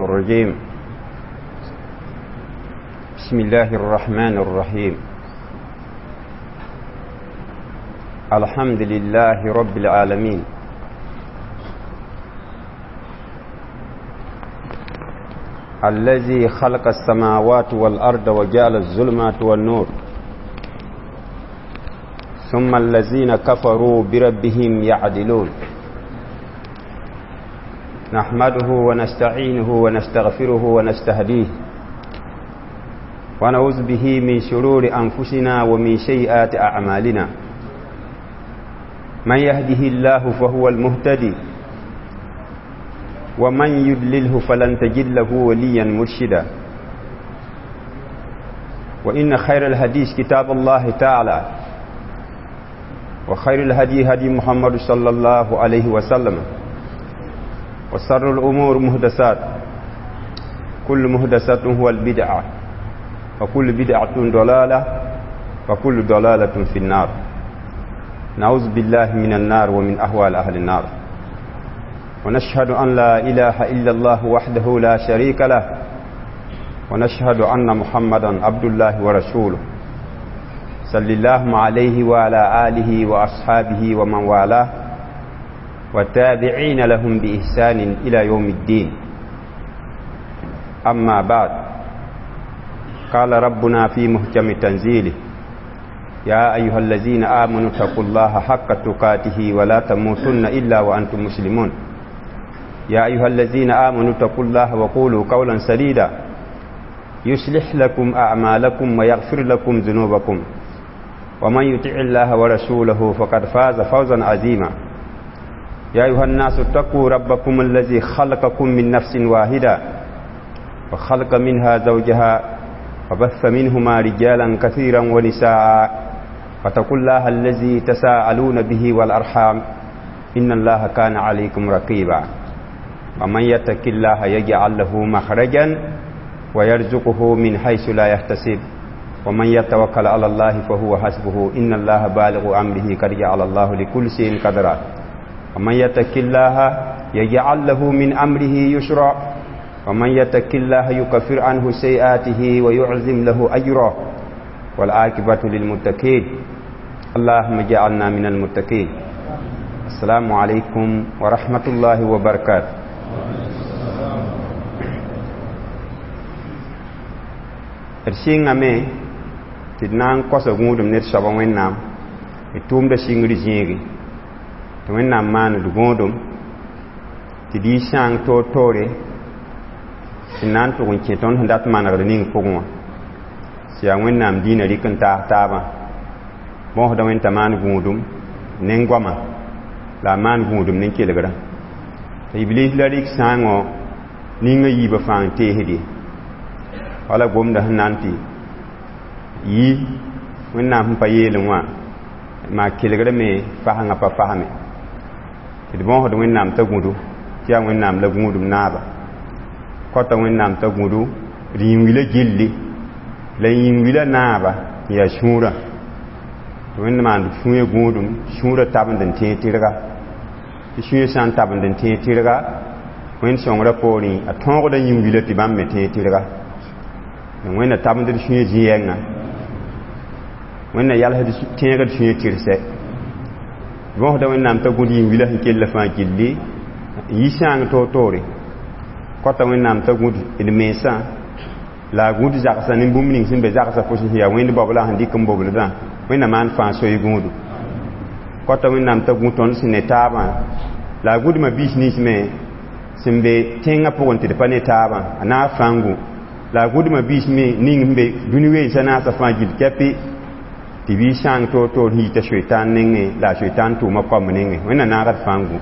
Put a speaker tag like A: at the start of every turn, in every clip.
A: الرجيم. بسم الله الرحمن الرحيم. الحمد لله رب العالمين، الذي خلق السماوات والأرض وجعل الظلمات والنور، ثم الذين كفروا بربهم يعدلون. نحمده ونستعينه ونستغفره ونستهديه، ونعوذ به من شرور أنفسنا ومن سيئات أعمالنا. من يهده الله فهو المهتدي، ومن يضلله فلن تجد له وليا مرشدا. وإن خير الحديث كتاب الله تعالى، وخير الهدي هدي محمد صلى الله عليه وسلم، وشر الأمور محدثات، كل محدثة هو البدعة، وكل بدعة ضلالة، وكل ضلالة في النار. نعوذ بالله من النار ومن أهوال أهل النار. ونشهد أن لا إله إلا الله وحده لا شريك له، ونشهد أن محمدا عبد الله ورسوله، صلى الله عليه وعلى آله وأصحابه ومن والاه والتابعين لهم بإحسان إلى يوم الدين. أما بعد، قال ربنا في محكم تنزيله: يا أيها الذين آمنوا اتقوا الله حق تقاته ولا تموتن إلا وأنتم مسلمون. يا أيها الذين آمنوا اتقوا الله وقولوا قولا سديدا يصلح لكم أعمالكم ويغفر لكم ذنوبكم، ومن يطع الله ورسوله فقد فاز فوزا عظيما. يا أيها الناس اتقوا ربكم الذي خلقكم من نفس واحدة، وخلق منها زوجها، وبث منهما رجالا كثيرا ونساء، واتقوا الله الذي تساءلون به والأرحام إن الله كان عليكم رقيبا. ومن يتق الله يجعل له مخرجا ويرزقه من حيث لا يحتسب، ومن يتوكل على الله فهو حسبه، إن الله بالغ أمره قد جعل الله لكل شيء قدرا. ومن يتق الله يجعل له من أمره يسرا، ومن يتق الله يكفر عنه سيئاته ويعظم له أجرا، والعاقبة للمتقين. اللهم اجعلنا من المتقين. السلام عليكم ورحمة الله وبركاته. D sɩngame tɩ d na n kosa gũudum ned soaba Wẽnnaam, d tʋʋmda sɩngr zĩigi tɩ Wẽnnaam maan d gũudum tɩ d yɩ sãang toor-toore sẽn na n tʋg n kẽ tõnd sẽn dat manegr ning pʋgẽ wã, sẽn yaa Wẽnnaam dĩinã rɩk n taas taabã. Bõosda Wẽn t'a maan gũudum ne goama la a maan gũudum ne kelgrã. Tɩ Iblis la rɩk sãangõ ninga yiibã fãa n teesd ye. Wala gomda sẽn na n tɩ yi Wẽnnaam sẽn pa yeelẽ wã maa kelgrã me fasengã pa fasme. Tɩ d bõosd Wẽnnaam t'a gũdu tɩ yaa Wẽnnaam la gũudum naaba. Kɔta Wẽnnaam t'a gũdu d yĩn-wilã gilli la yĩn-wilã naaba n yaa sũurã. Tɩ Wẽnd maand sũyã gũudum, sũurã tabend n tẽeg tɩrga. Tɩ sũyã sã n tabend n tẽeg tɩrga, Wẽnd sõngrã poorẽ a tõogda yĩn-wilã tɩ bãmb me tẽeg tɩrga. Wẽnna tabend d sũyã zĩ-yɛngã, Wẽnna yalsd tẽegd sũyã tɩrsɛ. Bõosda Wẽnnaam t'a gũd yĩn-wilã sẽn kell fãa gilli n yi sãang toor-toore. Kɔta Wẽnnaam t'a gũd d mensã la a gũd zagsã ne bũmb ning sẽn be zagsã pʋsẽ sẽn yaa Wẽnd baoblã sẽn dɩk n bobldã, Wẽnna maan fãa soy gũudu. Kɔta Wẽnnaam t'a gũ tõnd sẽn ne taabã la a gũdmã biis nins me sẽn be tẽngã pʋgẽ tɩ d pa ne taabã, a naag fãngu. La a gũdmã biis me ning sẽn be dũni weensã naasã fãa gill kɛpɩ tɩ bɩ sãang toor-toor sẽn yita soetaan nengẽ la a soetaan tʋʋma kaomb nengẽ. Wẽnna naagd fãngu.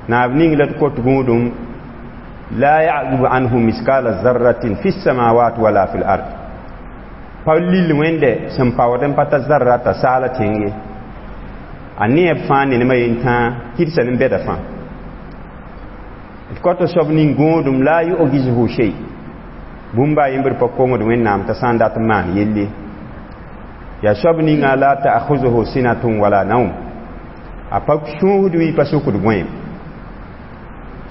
A: Naab ning la d kot gũudum la ya'zubu anhu miskala zarratin fi samawat wala fil ard. Pa lil Wẽnde sẽn paood n pa ta zarra t'a saala tẽng ye. A neeb fãa ne nemã yen tãa kɩdsa ne bɛda fãa. D kɔta soab ning gũudum la yu'jizuhu shay. Bũmba a yembr pa kongd Wẽnnaam t'a sã n dat n maan yelle. Yaa soab ninga la ta'khuzuhu sinatun wala naum. A pa sũusd wɩ pa sukd gõeem.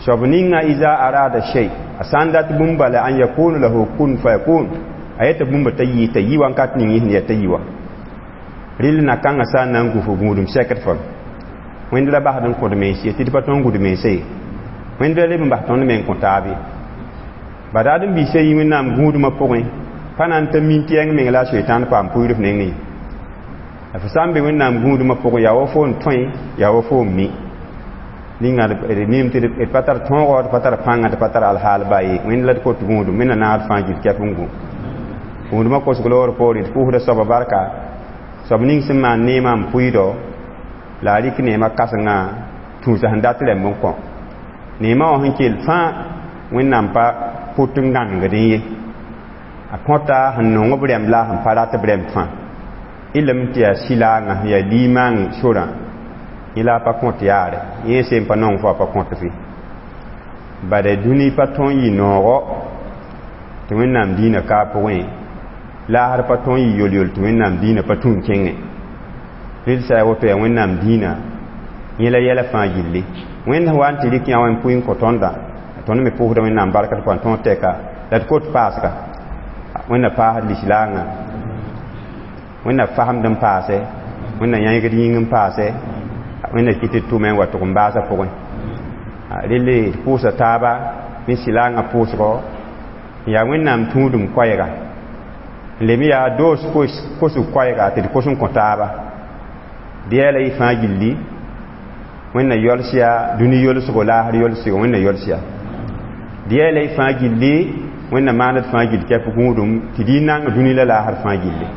A: Soab ninga iza arada shay a sã n dat bũmb bala an yakunu lahu kun fayakun a yeta bũmba t'a yɩ t'a yɩ wãnkat ning sẽn yaa t'a yɩ wã rɩl na kãngã sã n na n gu fo gũudum sɛkd fam wẽnd ra basd n kõd mens ye tɩ d pa tõnd gũd mense ye wẽnd ra leb n bas tõnd me n kõ taab ye badaad n biisa yĩ wẽnnaam gũudmã pʋgẽ pa na n ta min tɩ yãng meng la a soetãan paam pʋɩɩr f nengẽ ye la fo sã n be wẽnnaam gũudmã pʋgẽ yaa wa fo n tõe yaa wa fo n mi ninga d mim tɩ d pa tar tõogo d pa tar pãnga d pa tar alhaal ba ye wẽnd la d kot gũudum wẽnna naad fãa gil kɛp n gũ gũudmã kosg loogr poore d pʋʋsda soaba barka soab ning sẽn maan neemã n pʋɩɩdo la a rɩk neemã kãsengã tũusa sẽn dat rɛmb n kõ neemã wã sẽn kell fãa wẽnnaam pa pʋt n gãnegdẽ ye a kõta sẽn nong b rɛmb la sẽn pa rat b rɛmb fãa ilem tɩ yaa sɩlaangã sẽn yaa liimaang sorã yẽ la a pa kõt yaare yẽ sẽn pa nong fo a pa kõt fɩ bada dũni pa tõe n yɩ noogo tɩ wẽnnaam diinã ka a pʋgẽ laasr pa tõe n yɩ yol-yol tɩ wẽnnaam diinã pa tũ n kẽngẽ rɩl sã yaa woto yaa wẽnnaam diinã yẽ la yɛla fãa gilli wẽnd sẽn wa n tɩ rɩk yã wã n pʋɩ n kõ tõndã tõnd me pʋʋsda wẽnnaam bark d pʋgã tõog tɛka la d kot paasga wẽnna paasd lislaangã wẽnna fasemd n paase wẽnna yãegd yĩng n paase wẽnna kɩ tɩ d tʋme n wa tʋg n baasã pʋgẽ relle d pʋʋsa taaba ne sɩlaangã pʋʋsgɔ n yaa wẽnnaam tũudum koɛɛga n lem yaa doos kosg koɛɛga tɩ d kos n kõ taaba dɩ la y fãa gilli wẽnna yols yaa dũni yolsgo laasr yolsgo wẽnna yols yaa dɩ la y fãa gilli wẽnna maand d fãa gill kɛp gũudum tɩ d y nang dũni la laasr fãa gilli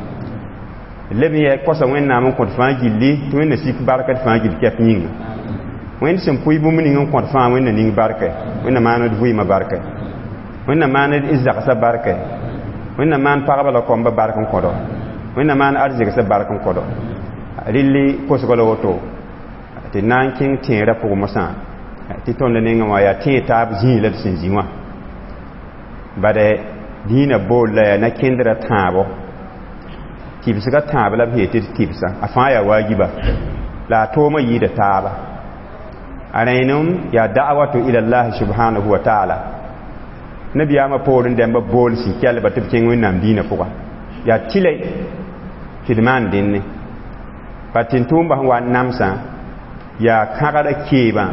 A: leb n kosa wẽnnaam n kõt fãa gilli tɩ wẽnna sik barka d fãa gill kɛp yĩnga wẽnd sẽn pʋɩ bũmb ning n kõt fãa wẽnna ning barka wẽnna maan d vɩɩmã barka wẽnna maan d zagsã barka wẽnna maan pagba la kombã bark n kõdo wẽnna maan arzegsã bark n kõdo rɩlli kosgã la woto tɩ na n kẽng tẽerã pʋgẽ mosã tɩ tõnd nengẽ wã yaa tẽeg taab zĩig la d sẽn zĩ wã bad dĩinã bool la yaa na-kẽndrã tãabo tɩbsgã tãab la b yeel tɩ d tɩbsã a fãa yaa waajiba la a toomã yɩɩda taaba a rẽenem yaa da'watu ila llahi subhanahu wa taala nabiyaamã poorẽ dãmbã bool sẽn kɛlba tɩ b kẽng wẽnnaam dĩinã pʋga yaa tɩlɛ tɩ d maan dẽnne pa tɩ-tʋʋmbã sẽn wa n namsã yaa kãgda keebã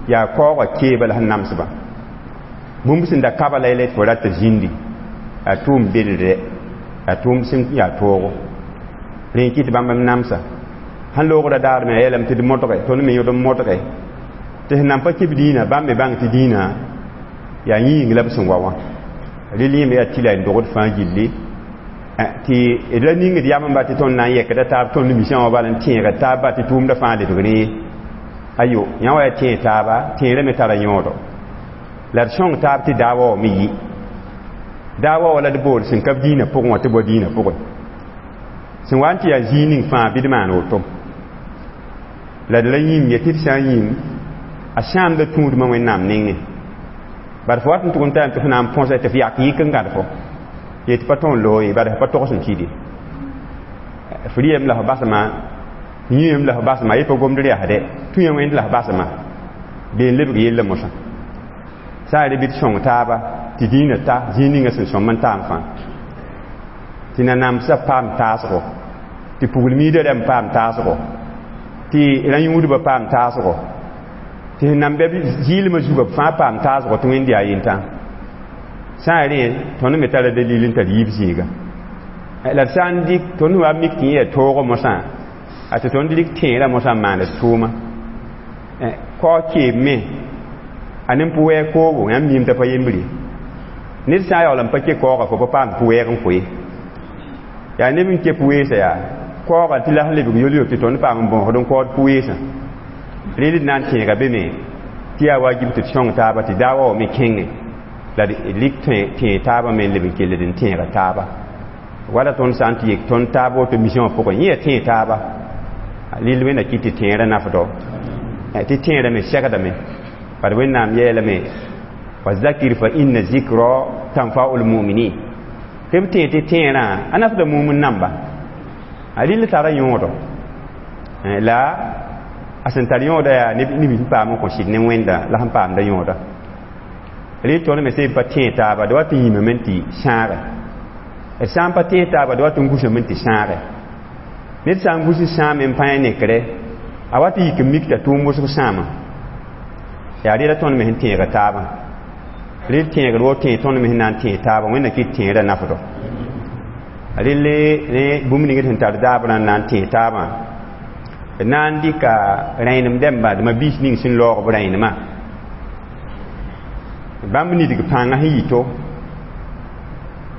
A: yaa kaoogã keebã la sẽn namsbã bũmb sẽn da kaba la yɛla tɩ fo rat tɩ zĩndi yaa tʋʋm beldrɛ yaa tʋʋm sẽn yaa toogo rẽ kɩ tɩ bãmb m namsa sãn loogda daar me a yeelame tɩ d modge tõnd me yõd n modge tɩ sẽn nan pa kɩ b dĩinã bãmb me bãng tɩ dĩinã yaa yĩng la b sẽn wa wã rɩl yẽme yaa tɩla n dogd fãa gilli tɩ d ra ningd yam n ba tɩ tõnd na n yɛkda taab tõnd misã wã bal n tẽega taab ba tɩ tʋʋmdã fãa lebg rẽ ayo yã wa yaa tẽeg taaba tẽerã me tara yõodo la d sõng taab tɩ daawa wa me yɩ daawa wa la d bool sẽn ka b dĩinã pʋgẽ wã tɩ bao dĩinã pʋgẽ sẽn wa n tɩ yaa zĩig ning fãa bɩ d maan woto la d ra yĩm ye tɩ d sã n yĩm a sãamda tũudmã wẽnnaam nengẽ bad fo wat n tʋg n tayame tɩ f na n põsa tɩ f yak yɩk n gãd fo ye tɩ pa tõe n loog ye bad f pa togs n kɩde f rɩyem la f basma yĩem la f basma ye pa gomd rɛasdɛ tũyã wẽnd la f basma bee n lebg yella mosã sã n re bɩ d sõng taaba tɩ dĩinã ta zĩig ninga sẽn sõm n taam fãa tɩ nanamsã paam taasgo tɩ pugl-miidã rãmb paam taasgo tɩ rã-yũudbã paam taasgo tɩ sẽn nan bɛ zɩɩlmã zugã b fãa paam taasgo tɩ wẽnd yaa yentã sã n rẽ tõnd me tara dalil n tar yiib zĩiga la d sã n dɩk tõnd wa mik tɩ yẽ yaa toogã mosã a tɩ tõnd rɩk tẽerã mosã n maand d tʋʋma kao keem me a nem pʋ-wɛɛg koogo yãmb miim t'a pa yembre ned sã n yaool n pa ke kaooga fo pa paam pʋ-wɛɛg n koe yaa neb n ke pʋ-weesã yaa kaooga tɩ la sẽn lebg yol-yol tɩ tõnd paam n bõosd n kaood pʋ-weesã rẽ d na n tẽega be me tɩ yaa wajib tɩ d sõng taaba tɩ daawa wa me kẽngẽ la d lik tẽeg taabã me n leb n kell d n tẽega taaba wala tõnd sã n tɩ yek tõnd taab woto misã wã pʋgẽ yẽ yaa tẽeg taaba rɩl wẽnna kɩ tɩ tẽerã nafdɔ tɩ tẽerã me segdame bad wẽnnaam yeelame wa zakir fa inna zikra tanfa'u lmuminin tɩ b tẽeg tɩ tẽerã a nafda mumn namba a rɩl tara yõodo la a sẽn tar yõoda yaa neb sẽn paam n kõ sɩd ne wẽnda la sẽn paamda yõoda Rel tõnd me sẽn pa tẽeg taaba d wat n yĩmame n tɩ sãage. D sã n pa tẽeg taaba d wat n gusame n tɩ sãage. Ned sã n gus n sãame n pa nekre, a wat n yik n mik t'a tʋʋm wʋsg sãama. Yaa rela tõnd me sẽn tẽega taabã. Rel tẽegr wo tẽeg tõnd me sẽn na n tẽeg taabã, Wẽnna kɩt tẽedã nafdɔ. Relle ne bũmb ning d sẽn tar daabrã n na n tẽeg taabã, d na n dɩka rẽenem dẽmba, d ma-biis ning sẽn laoog b rẽenemã. Bãmb nidg pãngã sẽn yɩ to,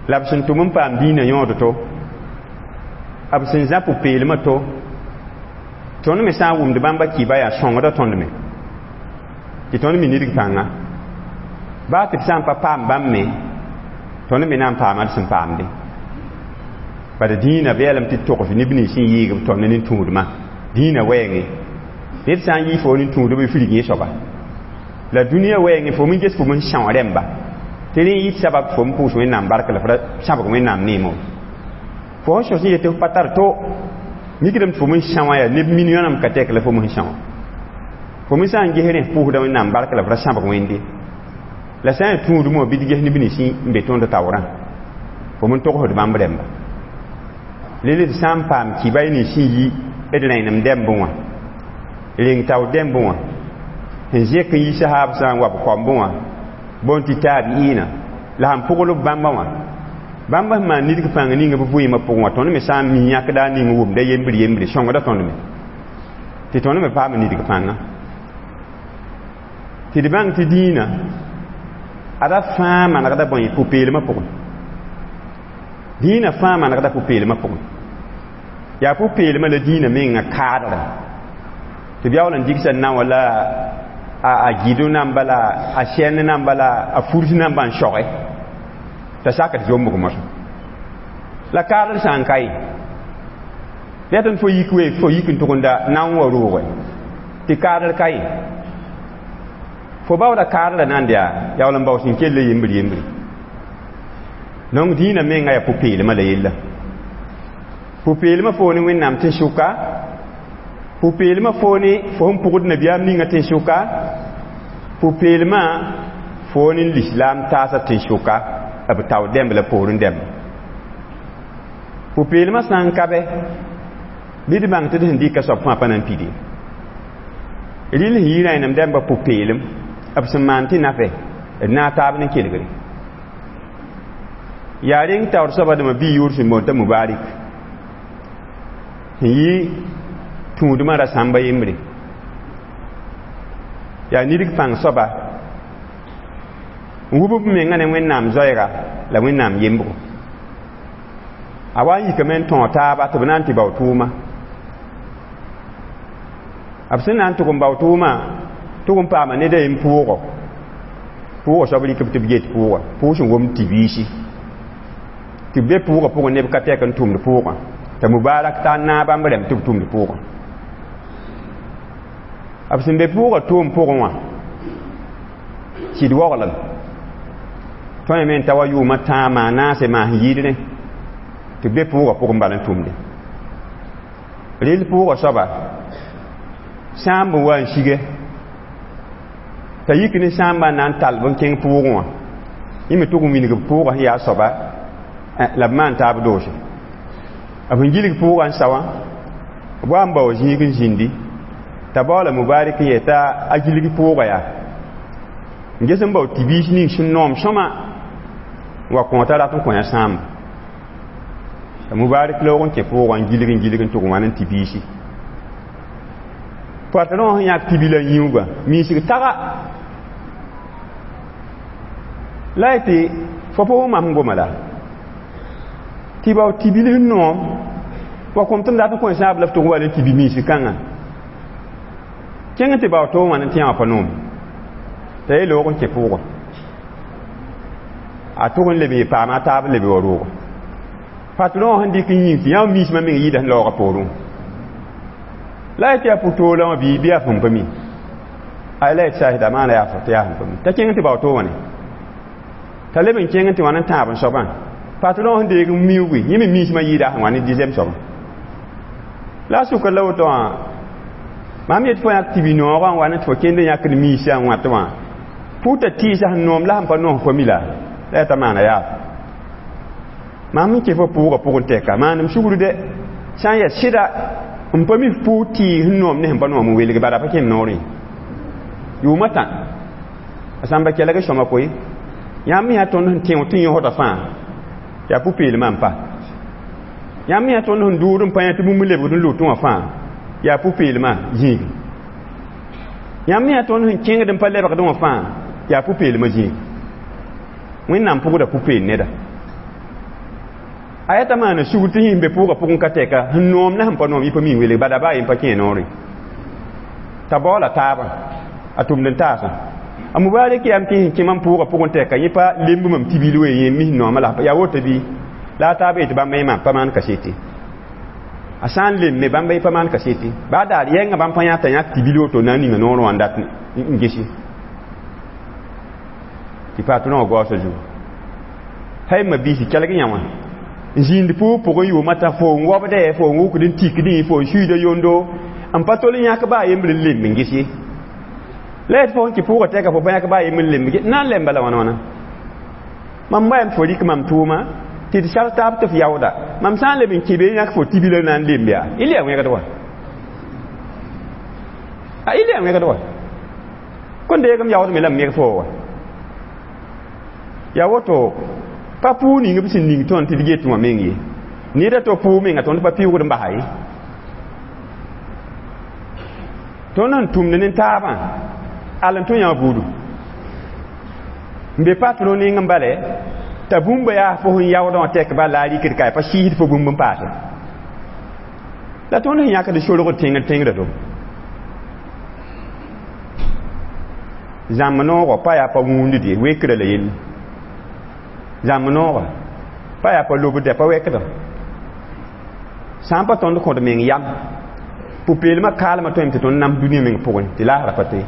A: la b sẽn tʋm n paam dĩinã yõod to, b sẽn zã pʋ-peelmã to, tõnd me sã n wʋmd bãmba kɩba yaa sõngda tõnd me tɩ tõnd me nidg pãnga. Baa tɩ d sã n pa paam bãmb me, tõnd me na n paama d sẽn paamde. Bad dĩinã beelame tɩ togs neb nins sẽn yɩɩg b tõnd nin-tũudmã. Dĩinã wɛɛngẽ, ned sã n yɩ fo nin-tũudb y frig yẽ soaba. La dũniyã wɛɛngẽ fo min ges fo min são rẽmba. Tɩ rẽ yɩ sabab fo n pʋʋs Wẽnnaam bark la f ra sãbg Wẽnnaam neemo. Fo sẽn sõs n yet tɩ f pa tar to, mikdame tɩ fo min são yaa neb milliõnam ka tɛk la fo min são. Fo min sã n ges rẽ f pʋʋsda Wẽnnaam bark la f ra sãbg Wẽnde. La sã n yaa tũudmã wã bɩ d ges neb nins n be tõnd taoorã, fo min togsd bãmb rẽmba. Rel d sã n paam kɩba y nins sẽn yi d rẽenem dɛmbẽ wã, reng tao dɛmbẽ wã, sẽn zẽk n yi sahaab sã n wa b kaombẽ wã, bõn tɩ taabi'iinã, la sẽn pʋgl b bãmba wã, bãmba sẽn maan nidg pãng ning b vɩɩmã pʋgẽ wã, tõnd me sã n mi yãkda ning wʋmda yembr yembre, sõngda tõnd me tɩ tõnd me paam nidg pãnga. Tɩ d bãng tɩ dĩinã ada fãa manegda bõe pʋ-peelmã pʋgẽ. Dĩinã fãa manegda pʋ-peelmã pʋgẽ. Yaa pʋ-peelmã la dĩinã mengã kaadra. Tɩ b yaool n dɩgsa naowã la a gɩdo namba la a sɛnd namba la a furs namba n soge t'a sakd zombg mosã. La kaadr sã n ka ye, yãtɩ fo yik we fo yik n tʋgenda nao n wa rooge tɩ kaadr ka ye. Fo baooda kaadrã na n yaa yaool n bao sẽn kell yembr yembre. Donc dĩinã menga yaa pʋ-peelmã la yella. Pʋ-peelmã fo ne Wẽnnaam tẽn-sʋka, pʋ-peelmã fo ne fo sẽn pʋgd nabiyaam ninga tẽn-sʋka, pʋ-peelmã fo ne lislaam taasã tẽn-sʋka, b tao dẽmb la poorẽ dẽmb. Pʋ-peelmã sã n ka bɛ, bɩ d bãng tɩ d sẽn dɩka soab fãa pa na n pid ye. Rɩl sẽn yɩ rẽenem dẽmbã pʋ-peelem, b sẽn maan tɩ nafɛ, d naag taab ne kelgre. Yaa reng taoor soaba dãmba bɩ yʋʋr sẽn boond t'a Mubarak, sẽn yɩ tũudmã ra sãmba yembre. Yaa nidg pãng soaba n wub b menga ne Wẽnnaam zoɛɛga la Wẽnnaam yembgo. A wa n yikame n tõog taaba tɩ b na n tɩ bao tʋʋma. B sẽn na n tʋg n bao tʋʋmã, tʋg n paama ned a yen pʋʋgɔ. Pʋʋgɔ soab rɩk b tɩ b get pʋʋgɔ, pʋʋg sẽn womd tɩ-biisi. Tɩ b be pʋʋgã pʋgẽ neb ka tɛk n tʋmd pʋʋgã. T'a Mubarak t'a naag bãmb rẽmb tɩ b tʋmd pʋʋgã. B sẽn be pʋʋgã tʋʋm pʋgẽ wã, sɩd waoglem. Tõe me n ta wa yʋʋmã tãag maa naase maa sẽn yɩɩd rẽ, tɩ b be pʋʋgã pʋgẽ bal n tʋmde. Rel pʋʋgã soaba, sãamb n wa n sige, t'a yik ne sãambã n na n tall b n kẽng pʋʋgẽ wã. Yẽ me tʋg n wilg b pʋʋgã sẽn yaa soaba, la b maan taab doose. B sẽn gilg pʋʋgã n sa wã, b wa n bao zĩig n zĩndi, t'a baoola Mubarak n yeta a gilg pʋʋgã yaa. N ges n bao tɩ-biis ning sẽn noom sõma n wa kõ t'a rat n kõ yã sãamba. T'a Mubarak loog n kẽ pʋʋgã n gilg n gilg n tʋg n wa ne tɩ-biisi. Patron sẽn yãk tɩ-bilã yĩuga, miisg taga. La y tɩ fo pa wʋm mam sẽn goma la. Tɩ bao tɩ-bil sẽn noom, wa kom tɩ m dat n kõ sãab la f tʋg n wa ne tɩ-bi miisg kãngã. Kẽng tɩ bao toom wã ne tɩ yã wã pa noom. T'a ye loog n kẽ pʋʋgã. A tʋg n leb n paama a taab n leb wa roogã. Patron sẽn dɩk n yĩng tɩ yã miismã meng yɩɩda sẽn laoogã poorẽ. La y tɩ yaa pʋ-toolã wã bɩ yaa sẽn pa mi. Ay la y tɩ saasda maana yaa tɩ yaa sẽn pa mi. T'a kẽng tɩ bao toom wã ne. T'a leb n kẽng tɩ wã ne tãab n soabã. Patron sẽn deeg n miuugi, yẽ me miismã yɩɩda sẽn wa ne deuxième soabã. La a sʋka la woto wã, mam yet fo yãk tɩ bi-noogã n wa ne tɩ fo kẽnd n yãkd miisã n wãt wã, Pʋʋta tɩɩsa sẽn noom la sẽn pa noom fo mi la la t'a maana yaa mam n kẽ fo pʋʋgã pʋgẽ tɛka maanem sugr dɛ sã n yaa sɩda n pa mi f pʋʋg tɩɩg sẽn noom ne sẽn pa noom n welge bala pa kẽem noorẽ yʋʋmã tã a sãmba kelg sõma koe yãmb yaa tõnd sẽn tẽo tɩ yõsda fãa yaa pʋ-peelmã n pa yãmb yaa tõnd sẽn dʋʋd n pa yã tɩ bũmb lebgd n lʋtẽ wã fãa yaa pʋ-peelmã zĩigi yãmb yaa tõnd sẽn kẽngd n pa lebgd wã fãa yaa pʋ-peelmã zĩigi wẽnnaam pʋgda pʋ-peel neda a yaa t'a maana sugr tɩ sẽn be pʋʋgã pʋgẽ ka tɛka sẽn noom la sẽn pa noom yɩ pa mi n welg bala baa yen pa kẽ noorẽ t'a baoola taabã a tʋmd n taasã a mubarak yam tɩ sẽn kẽ mam pʋʋgã pʋgẽ tɛka yẽ pa lemb mam tibil wee yẽ mis noomã la yaa woto bɩ la a taab yetɩ bãmba yẽ maan pa maan kasete a sã n lemme bãmba yẽ pa maan kasete baa daar yɛngã bãmb pa yã t'a yãk tibil woto na n ninga noorẽ wã n dat n gesi tɩ patronã wã gaoosã zugu hay ma biisi kelg yã wã n zĩnd pʋʋg pʋgẽ yʋʋmã t'a fo n wobdɛ fo n wukd n tikdẽ fo n suiida yondo n pa tol n yãk baa yembr n lemb n ges ye la yet fo n kɩ pʋʋgã tɛka fo pa yãk baa yembr n lemb na n lemba la wãna wãna mam baam fo rɩk mam tʋʋma tɩ d sar taab tɩ f yaooda mam sã n leb n kẽ be yãk fo tibila na n lemb yaa y yaa wẽgd wa a y yaa wẽgd wa kõn deegem yaoodme la m meg fo wa yaa woto pa pʋʋg ning b sẽn ning tõnd tɩ d get wã meng ye neda to pʋʋg menga tõnd pa pɩʋgd n basa ye tõnd sẽn tʋmd ne taabã al n tõ yã buudu n be patron ning n bale t'a bũmba yaa fo sẽn yaoodã wã tɛk bal la a rɩkd ka pa sɩɩsd fo bũmb n paase la tõnd sẽn yãkd sorgd tẽngd tẽngda to zãmb noogã pa yaa pa wũundid ye wekrã la yelle zãmb noogã pa yaa pa lobd pa wɛkda sã n pa tõnd kõd meng yam pʋ-peelmã kaalmã tõem tɩ tõnd nams dũniyã meng pʋgẽ tɩ laasra pa toe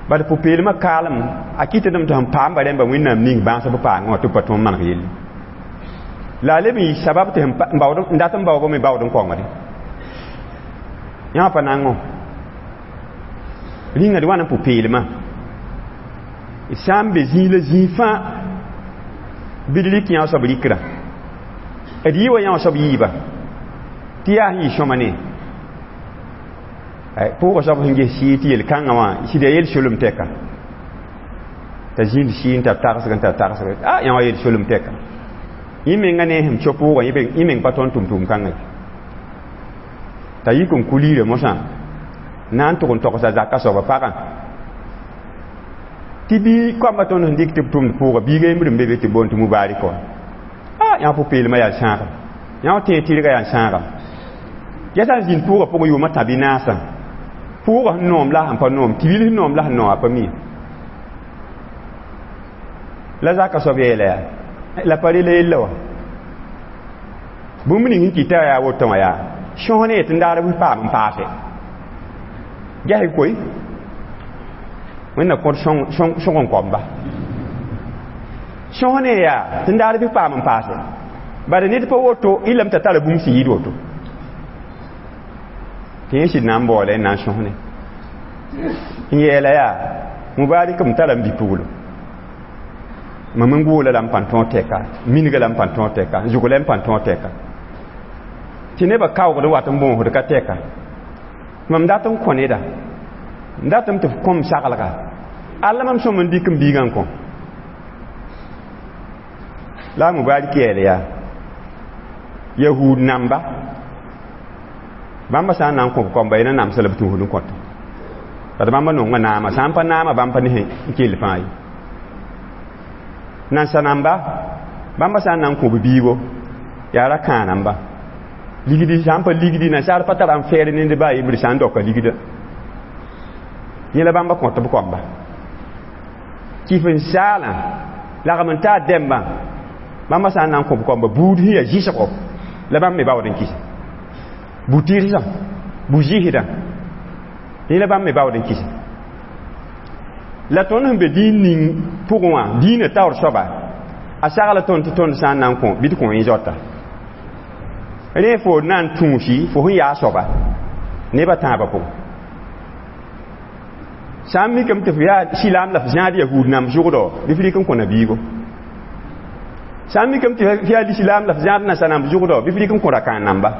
A: bad pʋ-peelmã kaalem a kɩtdame tɩ sẽn paamba rẽmba wẽnnaam ning bãasb paangẽ wã tɩ b pa tõnd maneg yelle la a leb n yɩ sabab tɩ n dat n baoogame baood n kaongde yã pa nango rĩnga d wa n pʋ-peelmã sã n be zĩig la zĩig fãa bɩ d rɩk yã soab rɩkrã d yɩ wa yã soab yiiba tɩ yaa sẽn yɩ sõma ne pʋʋgã soab sẽn ges sɩɩ tɩ yel-kãngã wã sɩd yaa yel-solem tɛka t'a zĩnd sɩɩ n tar tagsg n tar tagsg a yã wã yel-solem tɛka yẽ menga ne sẽm so pʋʋgã yẽ meng pa tõnd tʋm-tʋʋm kãngã t'a yik n kuliirã mosã na n tʋg n togsa zaka soaba pagã tɩ bɩ koambã tõnd sẽn dɩk tɩ b tʋmd pʋʋga biiga yembr n be be tɩ boond tɩ mubarik wã a yã pʋ-peelmã yaa sãagam yã wã tẽeg tɩrgã yaa sãagam ya sã n zĩnd pʋʋgã pʋgẽ yʋʋmã tã bɩ naasã pʋʋgã sẽn noom la sẽn pa noom tibil sẽn noom la sẽn noom a pa mi la zaka soab yeela yaa la pa rela yella wã bũmb ning sẽn kɩta yaa woto wã yaa sõs ne tɩ n daar b paam n paase ges koe wẽnna kõt sõg n koamba sõs ne yaa tɩ n daar bɩ paam n paase bala ned pa woto y lame t'a tara bũmb sẽn yɩɩd woto tɩ yẽ sɩd na n baoola n na n sõsne n yeela yaa mubarik m tara n bi-puglo mam n goola la n pãn tõog tɛka minga la n pãn tõog tɛka n zʋgla n pãn tõog tɛka tɩ nebã kaoogd n wat n bõosd ka tɛka mam dat n kõ neda n datame tɩ f kõm saglga alla mam sõm n dɩk n biigã n kõ la a mubarik yeela yaa yahud namba bãmba sã n na n kõ b koamba yẽ na namsa la b tũusd n kõta bad bãmba nonga naama sã n pa naama bãmb pa ne n kell fãa ye nansa namba bãmba sã n na n kõ b biigo yaa ra kãa namba ligdi sã n pa ligdi nansaar pa tara n fɛɛr ned baa yembr sã n daoka ligda yẽ la bãmba kõt b koamba kɩf n saalã lagm n taa dɛmbã bãmba sã n na n kõ b koamba buud sẽn yaa zɩsgo la bãmb me baood n kɩsa bu-tɩrsã bu-zɩsdã yẽ la bãmb me baood n kɩsa la tõnd sẽn be dĩin ning pʋgẽ wã dĩinã taoor soaba a sagla tõnd tɩ tõnd sã n na n kõ bɩ d kõ yẽ zaota rẽ fo na n tũusi fo sẽn yaa soaba nebã tãabã pʋgẽ Sã n mikame tɩ f yaa silaam la f zãad yahuud namb zʋgdɔ bɩ f rɩk n kõ nabiigo. Sã n mikame tɩ f yaa lislaam la f zãad nasa namb zʋgdɔ bɩ f rɩk n kõ rakãan namba.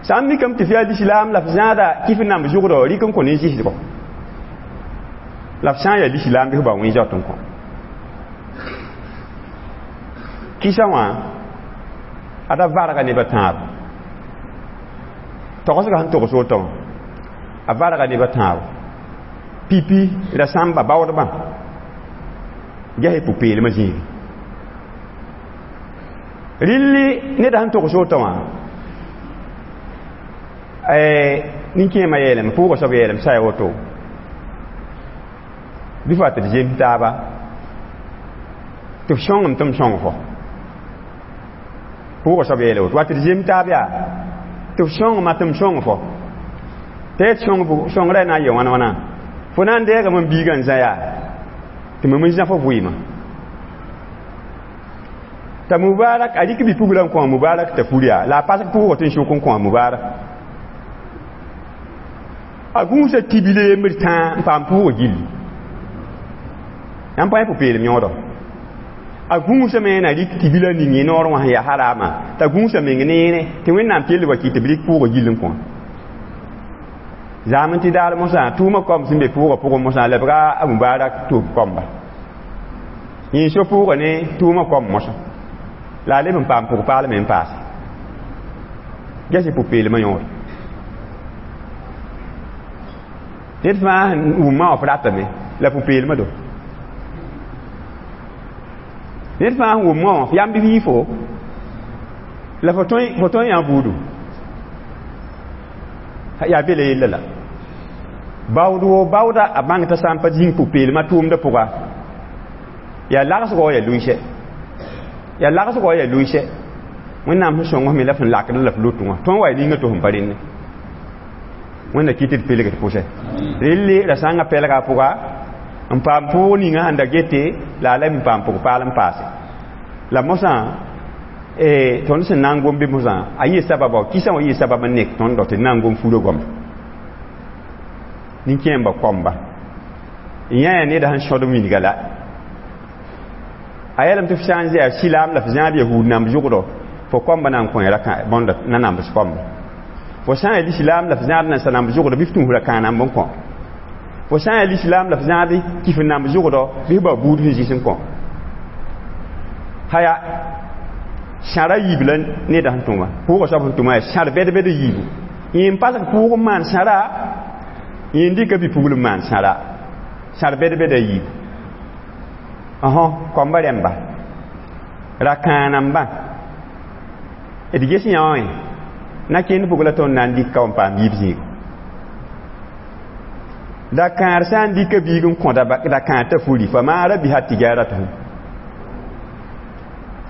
A: Sã n mikame tɩ f yaa lislaam la f zãada kɩf namb zʋgdɔ rɩk n kõ nin-zɩsgɔ. La f sã n yaa lislaam bɩ f bao wẽ-zaot n kõ. Kɩsa wã ada varga nebã tãabo. Togsga sẽn togs woto wã a varga nebã tãabo. Pipi la sãmba baoodbã ges pʋ-peelmã zĩigi. Rɩlli neda sẽn togs woto wã nin-kẽemã yeelame pʋʋgã soab yeelame sã ya woto bɩ f wa tɩ d zems taaba tɩ f sõngem tɩ m sõng fo. Pʋʋgã soab yeele woto wa tɩ d zems taab yaa tɩ f sõngema tɩ m sõng fo. Tɩ y sõngrã na n yee wãna wãna fo na n deegame n biigã n zã yaa tɩ mam n zã fo vɩɩmã. T'a Mubarak a rɩk bi-pugla n kõ a Mubarak t'a fur yaa la a pasg pʋʋgã tɩ n sʋk n kõ a Mubarak. A gũusa tibile yembr tãa n paam pʋʋgã gilli. Yãmb pa yẽ pʋ-peelem yõodɔ. A gũusame na rɩk tibila ning yẽ noor wã sẽn yaa haraamã t'a gũusa meng neere tɩ Wẽnnaam kell wa kɩ tɩ b rɩk pʋʋgã gill n kõ. Zaam n tɩ daar mosã tʋʋmã kom sẽn be pʋʋgã pʋgẽ mosã lebga a Mubarak tʋʋb komba. Yẽ so pʋʋgã ne tʋʋmã kom mosã. La a leb n paam pʋg-paalme n paase. Ges y pʋ-peelmã yõod. Ned fãa sẽn wʋmã wã f ratame la pʋ-peelmã do. Ned fãa sẽn wʋmã wã f yãmb bɩ f yɩ fo la fo tõe yã buudu. Yaa bela yella la. Baood woo baooda a bãng t'a sã n pa zĩng pʋ-peelmã tʋʋmdã pʋga yaa lagsgɔ yaa luɩsɛ. Yaa lagsgɔ yaa luɩsɛ. Wẽnnaam sẽn sõng f me la f n lakd la f lot wã. Tõnd wa ya ninga tɩ f pa rẽnne. Wẽnna kɩ tɩ d pelg d pʋsɛ. Relle ra sãngã pɛlga a pʋga n paam pʋʋg ninga sẽn da gete la a leb n paam pʋg-paal n paase. La mosã tõnd sẽn na n gom bɩ mosã a yɩ sababa kɩsã wã yɩ sabab n nek tõnd tɩ d na n gom furã goama. Nin-kẽembã koamba. Yã yaa neda sẽn sõd wilga la. A yeelame tɩ f sã n zã silaam la f zãad yahuud namb zʋgdɔ fo koamba na n kõ bõnda na nambs koamba. Fo sã n yaa lislaam la f zãad nansa namb zʋgdɔ bɩ f tũus ra-kãag namb n kõ. Fo sã n yaa lislaam la f zãad kɩf n namb zʋgdɔ bɩ f bao buud sẽn zɩs n kõ. Haya sãra yiib la neda sẽn tʋma pʋʋgã soab sẽn tʋma yaa sãr bɛd-bɛd yiibu. Yẽ n pasg pʋʋg n maan sãra yẽ n dɩka bi-pugl n maan sãra sãr bɛd-bɛda yiibu. Koamba rẽmba ra-kãag nambã d ges yã wã na kẽnd pʋg la tõnd na n dɩk ka n paam yiib zĩigo. Da-kãar sã n dɩka biig n kõ da-kãar t'a furi fa maara biha tijaratuhum.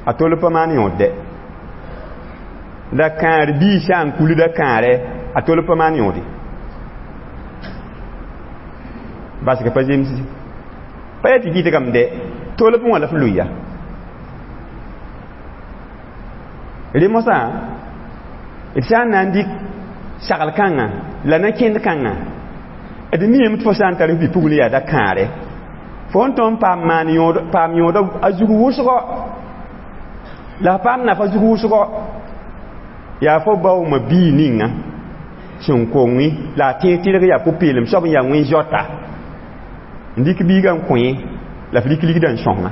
A: A tol pa maan yõod dɛ. Da-kãar bii sã n kul da-kãarɛ a tol pa maan yõode. Basg pa zemsdi. Pa yaa tɩ gɩdgame dɛ tolb wã la f lʋɩ ya. Rẽ mosã d sã n na n dɩk sagl kãngã la na-kẽnd kãngã d miame tɩ fo sã n tar f bi-pugl yaa da-kãarɛ fo n tõnd paam maan yõod paam yõod a zug wʋsgɔ la f paam nafa zug wʋsgɔ yaa fo baooma bii ninga sẽn kong la a tẽeg tɩrg yaa pʋ-peelem soab n yaa wẽn-zaota n dɩk biigã n kõ yẽ la f rɩk ligdã n sõnga.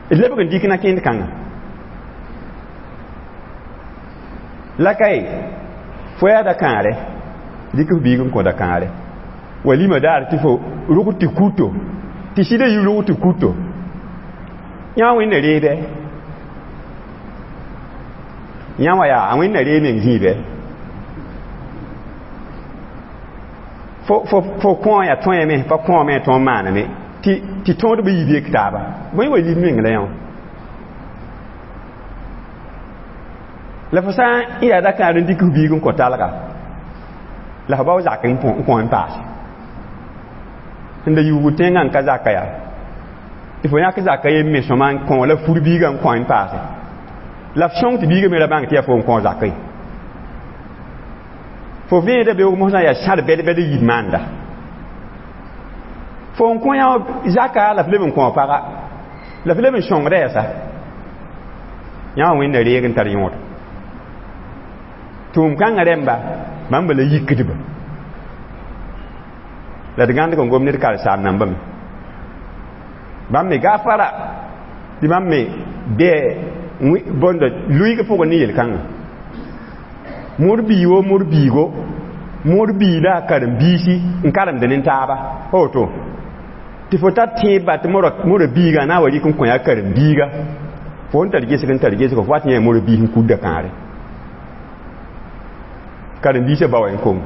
A: D lebg n dɩk na-kẽnd kãngã. La kae fo yaa da-kãarɛ dɩk f biig n kõ da-kãarɛ walima daar tɩ fo rʋg tɩ kuto tɩ sɩda yɩ rʋg tɩ kuto yã wẽnna reebɛ yã wã yaa a wẽnna ree meng zĩibɛ fo kõ yaa tõeme pa kõome tõog maaname tɩ tõodbã yiib yek taaba bõe wa lib meng la yã wã la fo sã n yaa da-kãar n dɩk f biig n kõ talga la f bao zak n kõ n paase sẽn da yuugd tẽngã n ka zaka yaa tɩ fo yãk zaka yem me sõma n kõ la fur biigã n kõ n paase la f sõng tɩ biigã me ra bãng tɩ yaa fo n kõ zaka ye. Fo vẽeda beoog mosã yaa sãr bɛd-bɛd yib maanda. Fo n kõ yã zaka la f leb n kõ paga. La f leb n sõngda yasa. Yã wã wẽnda reeg n tar yõod. Tʋʋm kãngã rẽmba bãmba la yikdba. La d gãndg n gom ned karen-saam nambame. Bãmb me gafara tɩ bãmb me bɩ bõnda luɩg pʋgẽ ne yel-kãngã. Moor bii wo moor biigo moor biida a karen-biisi n karemd ne taaba pa woto tɩ fo tar tẽebã tɩ mora biiga na n wa rɩk n kõ yaa karen-biiga fo n tar gesg n tar gesg fo wat yã mora biis n kudda kãare karen-biisã ba wa n kong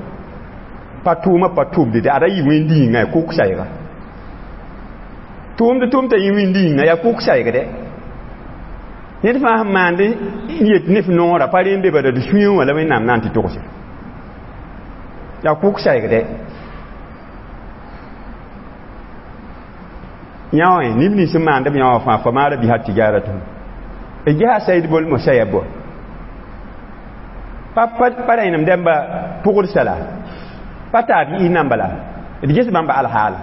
A: pa tʋʋmã pa tʋmde tɩ ada yɩ wẽnd yĩnga ya kʋk sayga tʋʋmd tʋm t'a yɩ wẽnd yĩnga ya kʋk saygdɛ ned fãa sẽn maand n yet ne f noora pa rẽ n be bala d sũyẽ wã la wẽnnaam na n tɩ togse ya kʋk saygdɛ yã wã neb nins sẽn maand b yã wã fãa fa maara bisa tijaratʋm d gesa said bol mo saya bo pa rẽnem dẽmba pʋgd sala pa taab yɩ namba la d ges bãmba alhaala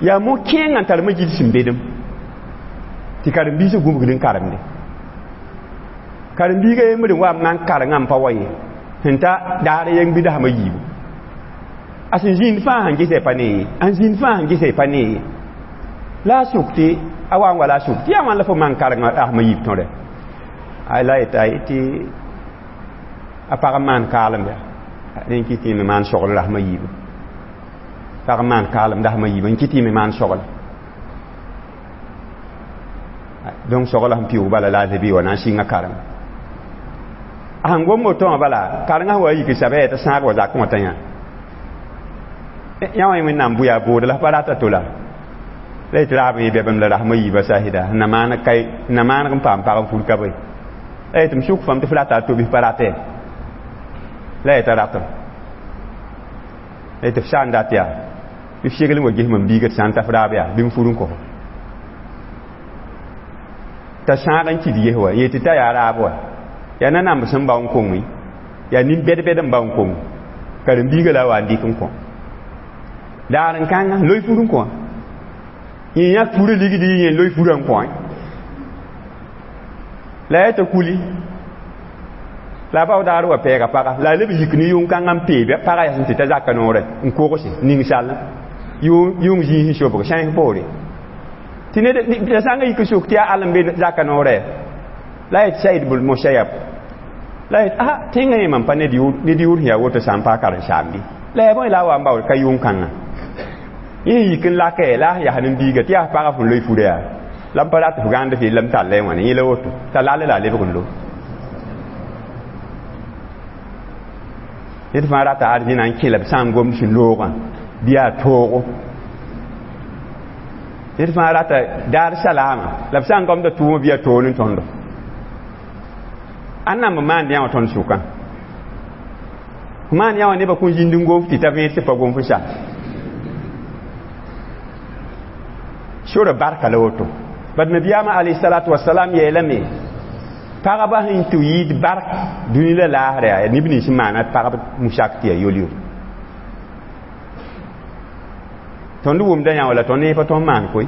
A: yaa mo kẽengã n tar majid sẽn bedem tɩ karen-biisã gũbgd n karemde karen-biigã yembr n wa n maan karengã n pa wa ye sẽn ta daar yeng bɩ dasma yiibu a sẽn zĩnd fãa sẽn gesa pa ne ye an zĩnd fãa sẽn gesa pa ne ye la a sʋk tɩ a wa n wa la a sʋk tɩ yaa wãn la fo maan karengã rasma yiib tõre ay la yeta tɩ a pag n maan kaalem ya rẽ kɩ tɩ me maan sogl rasma yiibu pag n maan kaalem dasma yiibu n kɩ tɩ me maan sogl donc sogl sẽn pɩʋʋg bala la a zebi wa na n sɩnga karem a sẽn gom woto wã bala karengã sẽn wa yik sabɛ t'a sãag wa zakẽ wã t'a yã yã wã wẽnnaam bʋ yaa bood la pa rata to la la yetɩ raab yẽ bɛbem la rasma yiibã sahida na maaneg n paam pag n fur ka bõe la yetɩ m sʋk fam tɩ f rata a to-bis pa ratɛ la yet'a ratem la yetɩ f sã n dat yaa bɩ f segl n wa ges mam biiga tɩ sã n ta f raab yaa bɩ m fur n kos t'a sãag n kɩd ges wa yetɩ t'a yaa raab wa yaa nanamb sẽn bao n koŋe yaa nin-bɛd-bɛd n bao n koŋ karen-biiga la a wa n dɩk n kõ daar n kãnga loe fur n kõ yẽ yãk furã ligd yẽ loe furã n kõ la yaa t'a kuli la a bao daar wa pɛɛga paga la a leb yik ne yʋng-kãngã n peebe paga yaa sẽn tɩ ta zaka noorɛ n kogse ning-sall yʋng zĩis n sobg sãens poore tɩ ned la sã n yik n sʋk tɩ yaa all n be zaka noorɛ la yet said bl mosayab la yet a tẽngã yẽ mam pa ned yʋʋr sẽn yaa woto sã n paa karen-saambi la yaa bõe la a wa n baood ka yʋng-kãngã yẽ yik n lakɛ la a yas nin-biiga tɩ yaa pagã fõn loe furã yaa la m pa rat f gãnd f yella m tall y wãne yẽ la woto t'a lall la a lebg n lo ned fãa rata arzẽna n kẽ la b sã n gomd sẽn loogã bɩ yaa toogo ned fãa rata daar salaama la b sã n gomda tʋʋmã bɩ yaa toog ne tõndo ãn namb maand yã wã tõnd sʋkã maan yã wã nebã kõn zĩnd n gom tɩ ta vẽed tɩ pa gom f sa sora barka la woto bad nabiyaamã alayhi salatu wasalam yeelame pagba sẽn tɩ yɩɩd bark dũni la laasr yaa neb nins n maana pagb musak tɩ yaa yol-yol tõnd wʋmda yã wala tõnd ne pa tõnd maan koe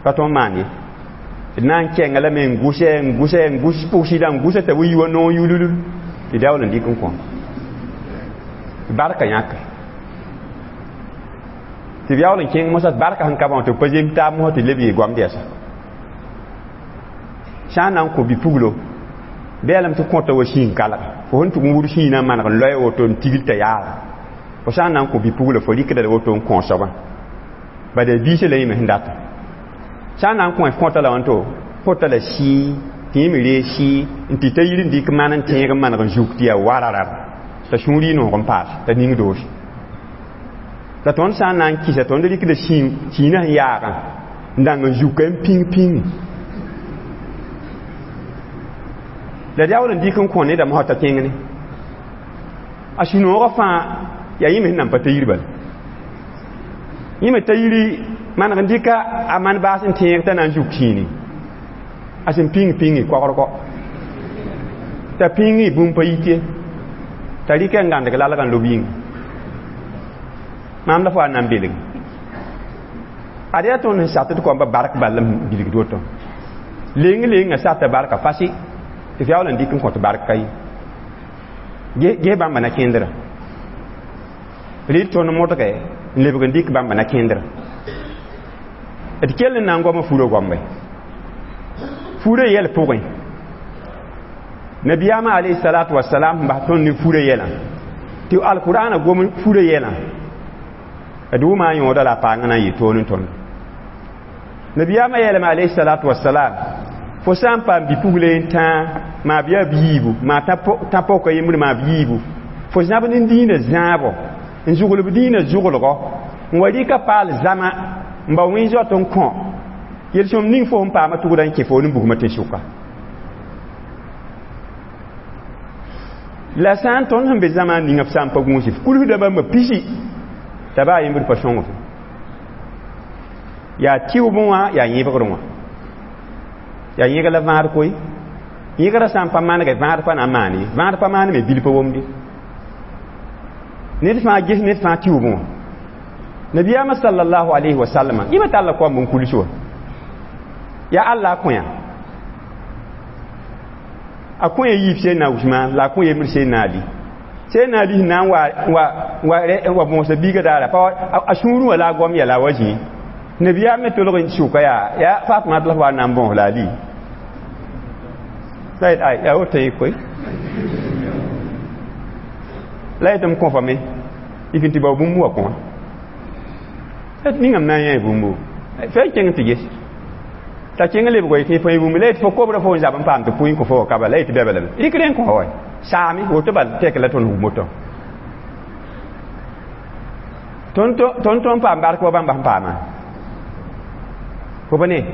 A: pa tõnd maan ye d na n kɛnga lame n gʋsɛ n gʋsɛ n gʋs pʋgsɩda n gʋsa t'a wi wa noog yululul tɩ daool n dɩk n kõ barka yãka tɩ b yaool n kẽng mosã barka sẽn ka bã tɩ b pa zem taab mosã tɩ leb yee goamd yɛsa sã n na n kõ bi-puglo bɩ yaa lame tɩ kõta wa sĩin kalga fo sẽn tʋg n wud sĩinã n maneg n loɛ woto n tigl t'a yaaga fo sã n na n kõ bi-puglo fo rɩkda la woto n kõ soabã bad yaa biisã la yẽme sẽn data sã n na n kõ f kõta la wãnto kõta la sɩɩ tɩ yẽ me reeg sɩɩ n tɩ t'a yir n dɩk man n tẽeg n maneg n zuk tɩ yaa wararar t'a sũur yɩ noog n paas t'a ning doos la tõnd sã n na n kɩsa tõnd rɩkda sĩinã sẽn yaagã n dãng n zuka n pĩng pĩngi la d yaool n dɩk n kõ nedã mosã t'a kẽng ne a sũ-noogã fãa yaa yẽ me sẽn nan pa ta yir bala yẽ me ta yiri maneg n dɩka a man baas n tẽeg t'a na n zuk sĩini a sẽn pĩng pĩngi kogr kɔ t'a pĩngi bũmb pa yit ye T'a rɩka n gãndg lalgã n lob yĩnga. Maam la fo a na n belg. Ad yaa tõnd sẽn sat d kõmba bark bal n bilgd woto. Leng lengã sata barka fasi tɩ f yaool n dɩk n kõt bark ka ye. Ges bãmba na kẽndrã. Rɩ tõnd modge n lebg n dɩk bãmba na kẽndrã. D kell n na n goama furã goambe. Furã yɛl pʋgẽ. Nabiyaamã alayhi salatu wasalam sẽn bas tõnd ne furã yɛlã tɩ alkur'aana gom furã yɛlã d wʋma a yõoda la a paangã na n yɩ toor n tõnd. Nabiyaamã yeelame alayhi salatu wasalam fo sã n paam bi-pugle n tãa maa b yaa b yiibu maa tã pɔka yembr maa b yiibu fo zãb ne dĩinã zãabɔ n zʋglb dĩinã zʋglgɔ n wa rɩka paal zãma n ba wẽ zoat n kõ yel-sõm ning fo sẽn paama tʋgda n kẽ fo n bugmã tẽn-sʋka. La sã n tõnd sẽn be zãma ninga f sã n pa gũus f kulsda bãmba pisi t'a baa yembr pa sõng f. Yaa tɩʋbẽ wã yaa yẽbgrẽ wã. Yaa yẽg la vãad koe. Yẽgrã sã n pa manege vãad pa na n maan ye. Vãad pa maan me bil pa womde. Ned fãa ges ned fãa tɩʋbẽ wã. Nabiyaamã sallallahu alayhi wa sallam yẽmã talla koamb n kuls wã. Yaa Allah a kõ-yã. A kõ-yã yiib Seydina Usmaan la a kõ yembr Seydina Ali. Seydina Ali sẽn na n wa bõosa biigã daara pa a sũurẽ wã la a goam yɛla a wa zĩ. Nabiyaam me tolg n sʋka yaa Fatma la f wa n na n bõos la Ali. La yet ay yaa woto yẽ koe. La yetɩ m kõfame yik n tɩ bao bũmb wa kõ. La ningame na n yã bũmbu. Fa n kẽng tɩ ges. T'a kẽng lebg wa yetɩ fo bũmb la yetɩ fo kobrã fo n zab n paam tɩ pʋɩ n kõ fo wa kaba la yetɩ bɛba lame. Rɩk rẽ n kõ wa saame woto bal tɛk la tõnd wum woto. Tõnd tõnd paam bark wa bãmba sẽn paamã. Fo pa ne.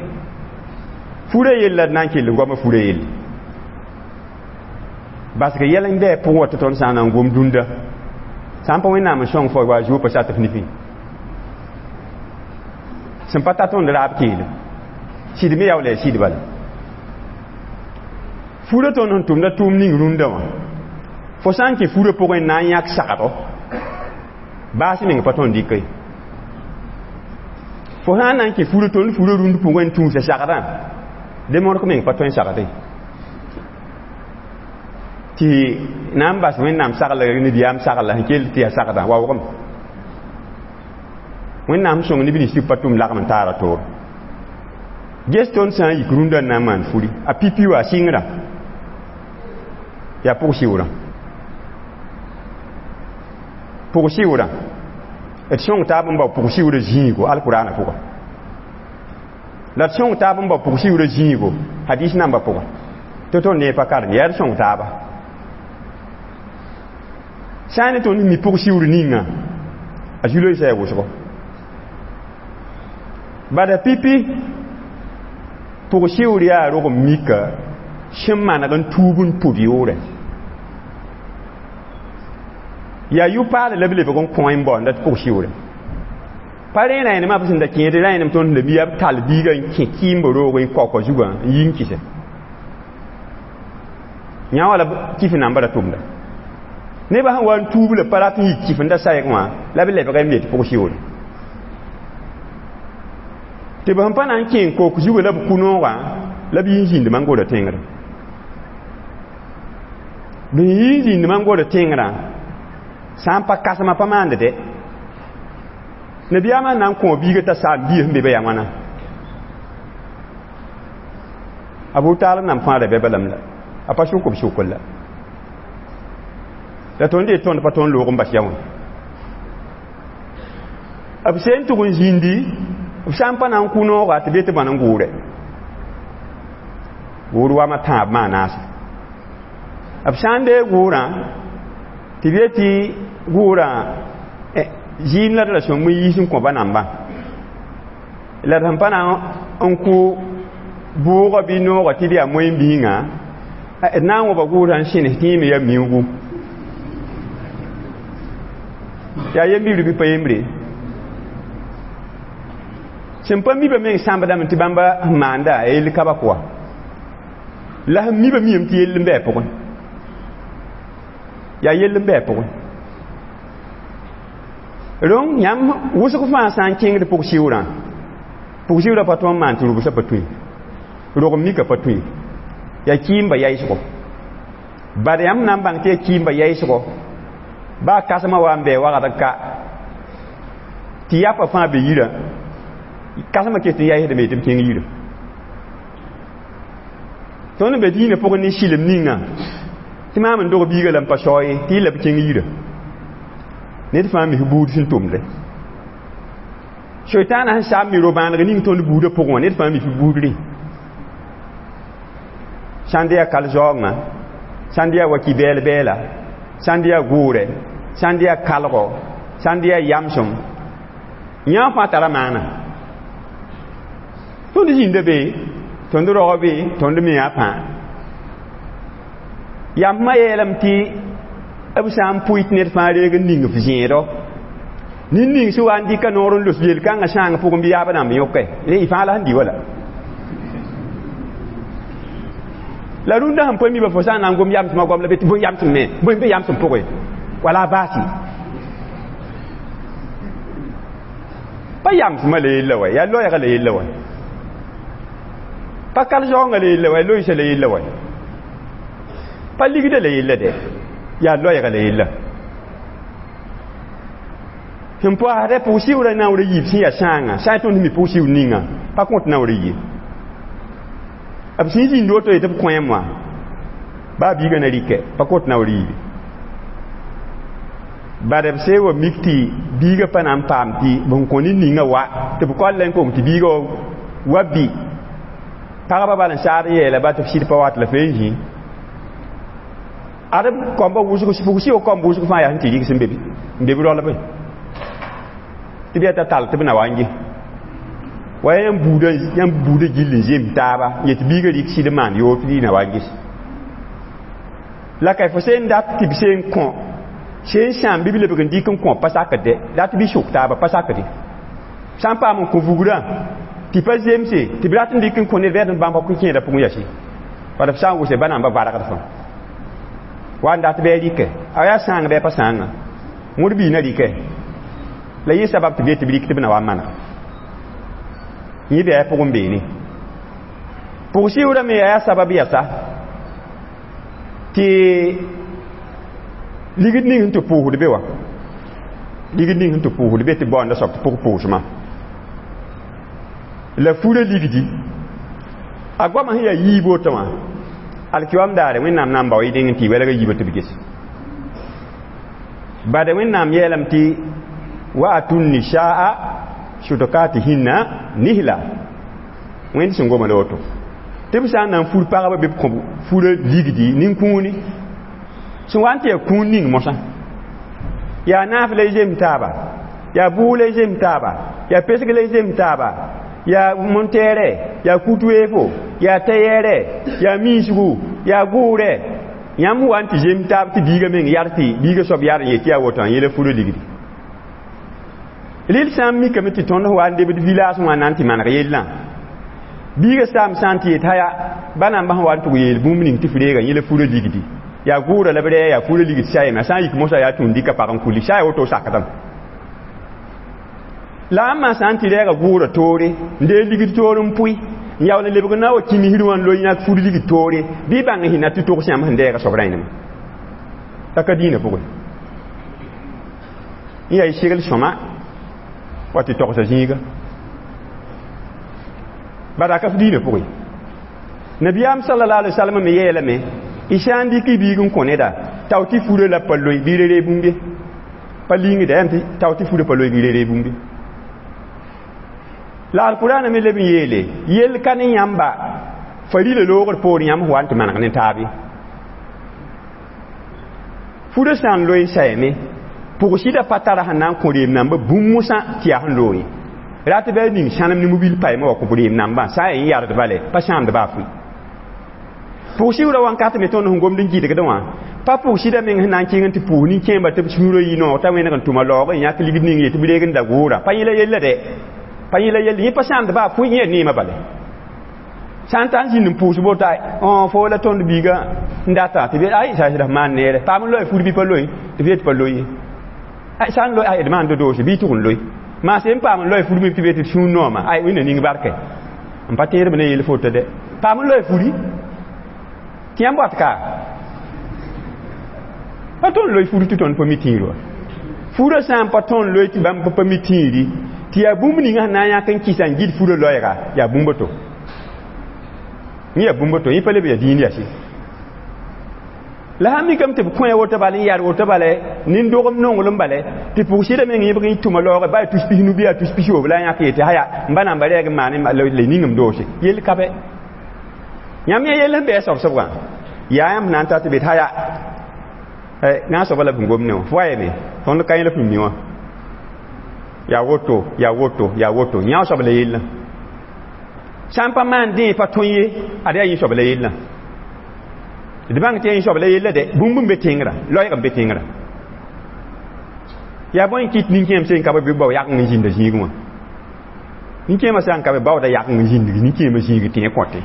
A: Furã yell la d na n kell n goamã furã yelle. Parce que yɛl n bɩ pʋgẽ wa tɩ tõnd sã n na n gom dũnda. Sã n pa Wẽnnaam n sõng fo wa zuo pa sat f nifẽ. Sẽn pa ta tõnd raab keelem. Sɩd me yaool yaa sɩd bala. Furã tõnd sẽn tʋmda tʋʋm ning rũndã wã. Fo sã n kẽ furã pʋgẽ n na n yãk sagdo baas meng pa tõnd dɩka ye. Fo sã n na n kẽ furã tõnd furã rũnd pʋgẽ n tũusa sagdã demork meng pa tõe n sagd ye. Tɩ na n bas Wẽnnaam sagla nabiyaam sagla sẽn kell tɩ yaa sagdã waoogame. Wẽnnaam sõng neb nins tɩ b pa tʋm lagm n taara toor. Ges tõnd sã n yik rũndã n na n maan furi a pipi wa a sɩngrã yaa pʋg-sɩʋrã. Pʋg-sɩʋrã d sõng taab n bao pʋg-sɩʋrã zĩigo alkʋraanã pʋga. La d sõng taab n bao pʋg-sɩʋrã zĩigo hadis nambã pʋga. Tɩ tõnd nee pa karem yaa d sõng taaba. Sã n ne tõnd mi pʋg-sɩʋr ninga a zu-loeesã yaa wʋsgo. Bada pipi pʋg-sɩʋr yaa rog n mika sẽn maneg n tuub n pʋd yoorɛ. Yaa yʋ-paal la b lebg n kõ n baoonda tɩ pʋg-sɩʋrɛ. Pa rẽ rãenemã b sẽn da kẽed rãenem tõnd la mi b tall biigã n kẽ kɩɩmbã roog n kaoka zugã n yi n kɩsɛ. Yã wã la kɩf nambã ra tʋmda. Nebã sẽn wa n tuub la pa rat n yik kɩfenda sayg wã la b lebg n me tɩ pʋg-sɩʋrɛ. Tɩ b sẽn pa na n kẽ n kok zugã la b kʋ noogã la b yi n zĩnd man-gorã tẽngrã. B yi n zĩnd man-gorã tẽngrã sã n pa kasmã pa maand dɛ. Nabiyaamã na n kõ biigã t'a saam biis n be ba yaa wãna. Abu Talib nam fãa ra bɛ balam la. A pa sʋk b sʋkr la. La tõnd yet tõnd pa tõnd loog n bas ya wã. B sẽn tʋg n zĩndi b sã n pa na n kʋ noogã tɩ be tɩ bãn n gʋʋrɛ. Gʋʋr wama tãab maa naase. B sã n deeg gʋʋrã tɩ b yetɩ gʋʋrã zɩɩm la d ra sõmb n yiis n kõ ba nambã. La d sẽn pa na n kʋ bʋʋgã bɩ noogã tɩ d yaa moyen-biingã d na n wõba gʋʋsã n sẽnes tɩ yẽ me yaa miuugu. Yaa yembibr bɩ pa yembre. Sẽn pa mi ba meng sãmbdame tɩ bãmba sẽn maanda a yell ka ba kʋa. La sẽn mi ba miyame tɩ yell n bɩ a pʋgẽ. Yaa yell n bɩ a pʋgẽ. Rõng yãmb wʋsg fãa sã n kẽngd pʋg-sɩʋrã, pʋg-sɩʋrã pa tõe n maan tɩ rʋbsã pa tõe. Rogem mika pa tõe. Yaa kɩɩmba yaɩsgo. Bad yãmb na n bãng tɩ yaa kɩɩmba yaɩsgo. Baa kãsmã wa n bɩ wagd n ka. Tɩ yapa fãa be yirã. Kãsmã ket n yaɩsdame tɩ b kẽng yirã. Tõnd n be dĩinã pʋgẽ ne sɩlem ninga tɩ maam n dog biigã la n pa sao ye tɩ yella b kẽng yirã. Ned fãa mis buud sẽn tʋmde. Soitaanã sẽn saam mi ro-bãaneg ning tõnd buudã pʋgẽ wã ned fãa mis buud rẽ. Sãn yaa kal-zaoongã, sãn yaa waki bɛɛl-bɛɛla, sãn yaa gʋʋrɛ, sãn yaa kalgɔ, sãn yaa yamsem, yã fãa tara maana. Tõnd zĩnda be, tõnd rogã be, tõnd me yaa pãa. Yãmb yeelame tɩ b sã n pʋɩ tɩ ned fãa reeg n ning f zẽedɔ. Nin ning sẽn wa n dɩka noor n los yel-kãngã sãang pʋgẽ bɩ yaab rãmb yõke. Y fãa la sẽn dɩ wala. La rũndã sẽn pa mi fo sã n na n gom yamsmã goam la be tɩ bõe yamsem me, bõe be yamsem pʋgẽ. Wala a baasi. Pa yamsmã la yella wa, yaa loɛɛgã la yella wa. Pa kal-zaoongã la yella wa, loɩsã la yella wa. Pa ligdã la yella dɛ, yaa loɛɛgã la yella. Sẽn paasdɛ pʋg-sɩʋrã naoor a yiib sẽn yaa sãanga, sã n tõnd mi pʋg-sɩʋr ninga, pa kõt naoor a yi. B sẽn zĩnd woto yetɩ b kõem wã, baa biigã na rɩkɛ, pa kõt naoor a yiibe. Bad b see wa mik tɩ biigã pa na n paam tɩ b sẽn kõ nin-ninga wa, tɩ b koal la n kong tɩ biigã wa bɩ. Pagba bal n saad n yeela ba tɩ b sɩd pa wat la fee n zĩ. Ad b kɔmbã wʋsg, pʋg-sɩʋg kɔmb wʋsg fãa yaa sẽn tɩ rɩgs n be b roalbẽ. Tɩ b yaa t'a tall tɩ b na wa n ges. Wa yãmb buudã gill n zems taaba, n yet biigã rɩk sɩd n maan yoor tɩ na wa n ges. La ka fo sẽn dat tɩ b sẽn kõ, sẽn sãam bɩ b lebg n dɩk n kõ pa sakd dat bɩ sʋk taaba pa sakde. Sã n paam n kõ vugrã, tɩ pa zemse, tɩ b rat n dɩk n kõ ned bɩ bãmb pa kẽedã pʋgẽ yase. Bala b sã n wʋse ba namba vargd fãa. Wa n dat bɩ a rɩkɛ, a yaa sãang bɩ a pa sãanga. Wõd bii na rɩkɛ. La yẽ sabab tɩ b yet tɩ b rɩk tɩ b na wa n maneg. Yẽ bɩ a pʋgẽ beene. Pʋg-sɩʋrã me yaa sabab yasa tɩ ligd ning sẽn tɩ pʋʋsd be wã. Ligd ning sẽn tɩ pʋʋsd be tɩ baoonda soab tɩ pʋg pʋʋsmã. La furã ligdi. A goamã sẽn yaa yiib woto wã, alkiwam daare Wẽnnaam na n bao y deng n tɩ y wɛlg a yiibã tɩ b ges. Bad Wẽnnaam yeelame tɩ wa atun nisaa sudukatihinna nihla. Wẽnd sẽn goma la woto. Tɩ b sã n na n fur pagba bɩ b kõ furã ligdi nin-kũuni. Sẽn wa n tɩ yaa kũun ning mosã. Yaa naaf la y zems taaba, yaa bʋʋg la y zems taaba, yaa pesg la y zems taaba, yaa montɛɛrɛ, yaa kut-weefo, yaa tɛyɛɛrɛ, yaa miisgu, yaa gʋʋrɛ. Yãmb wa n tɩ zems taab tɩ biigã meng yar tɩ biigã soab yar n yet tɩ yaa woto n yela furã ligdi. Rɩl sã n mikame tɩ tõnd wa n debd village wã na n tɩ maneg yellã. Biigã saam sã n tɩ yet haya, ba namba sẽn wa n tʋg yeel bũmb ning tɩ f reega yẽla furã ligdi. Yaa gʋʋrã la b rɛɛ yaa furã ligd sa yema, sã n yik mosã yaa tũud dɩka pag n kulli, sã yaa woto sakdame. La ãmbã sã n tɩ rɛɛga gʋʋrã toore, n deeg ligd toor n pʋɩ, n yaool n lebg na wa kĩmisr wã n loe yãk fur ligd toore, bɩ bãng n hĩna tɩ togs yãmb sẽn dɛɛga soab rãenema. La ka dĩinã pʋgẽ. N yaa y segl sõma wa tɩ togsa zĩiga. Bad ka f dĩinã pʋgẽ. Nabiyaam sallallahu alaihi wasallam me yeelame, y sã n dɩk y biig n kõ neda, tao tɩ furã la pa loe bɩ re-ree bũmb ye. Pa lingda yam tɩ tao tɩ furã pa loe bɩ re-ree bũmb ye. La alkurana me leb n yeele, yell ka ne yãmba farila loogr poor yãmb wa n tɩ maneg ne taab ye. Furã sã n loe n sayame, pʋg-sɩdã pa tara sẽn na n kõ reem nambã bũmb mosã tɩ yaa sẽn loog ye. Rat bɩ a ning sãnem ne mobil paɩmã wa kõ reem nambã, sã n yaa yardba lɛ, pa sãamd baa fʋɩ. Pʋg-sɩʋrã wãnkat me tõnd sẽn gomd n gɩdgdẽ wã, pa pʋg-sɩdã meng sẽn na n kẽng n tɩ pʋʋs nin-kẽembã tɩ b sũurã yɩ noog t'a wẽneg n tʋma laoog n yãk ligd ning ye tɩ b reeg n da gʋʋra. Pa yẽla yella dɛ. Pa yẽla yella, yẽ pa sãamd baa fʋɩ, yẽ neemã bale. Sã n ta n zĩnd n pʋʋs bota fo la tõnd biiga n data tɩ b ay sa sɩd maan neere paam n loe fur bɩ pa loe tɩ b yet pa loe ye ay sã n loe ay d maan dodoose bɩ tʋg n loe maa sẽn paam n loe fur me tɩ b yet tɩ sũur nooma ay wẽnna ning barkɛ n pa tẽedb ne yel foto dɛ paam n loe furi tɩ yãmb wat ka pa tõnd loe furi tɩ tõnd pa mi tĩir wa furã sã n pa tõnd loe tɩ bãmb pa mi tĩiri tɩ yaa bũmb ninga sẽn na n yãk n kɩsa n gɩd furã loɛɛga yaa bũmb to yẽ yaa bũmb to yẽ pa leb yaa dĩin yasi la sãn mikame tɩ b kõ woto bala n yar woto bala nin-dogem nonglem bala tɩ pʋg-sɩda meng yẽbg n tʋma laoogẽ ba yaa tus pisnu bɩ yaa tus pisoob la a yãk yetɩ haya n ba namba rɛɛg n maan la ningem doose yell ka bɛ yãmb yẽ yell sẽn bɩ a soab-sobgã yaa yãmb na n ta tɩ bet haya na n soaba la b sẽn gom ne wã fo wa yeme tõnd ka yẽ la f mi wã yaa woto yaa woto yaa woto yã soab la yellã sã n pa maan dẽ pa tõe ye ad yaa yẽ soab la yellã d bãng tɩ yẽ soab la yella dɛ bũmb n be tẽngrã loɛɛg n be tẽngrã yaa bõe n kɩt nin-kẽem sẽn ka bɩ bao yag n zĩnda zĩigẽ wã nin-kẽemã sã n ka be baooda yag n zĩndg nin-kẽemã zĩig tɩ yẽ kõte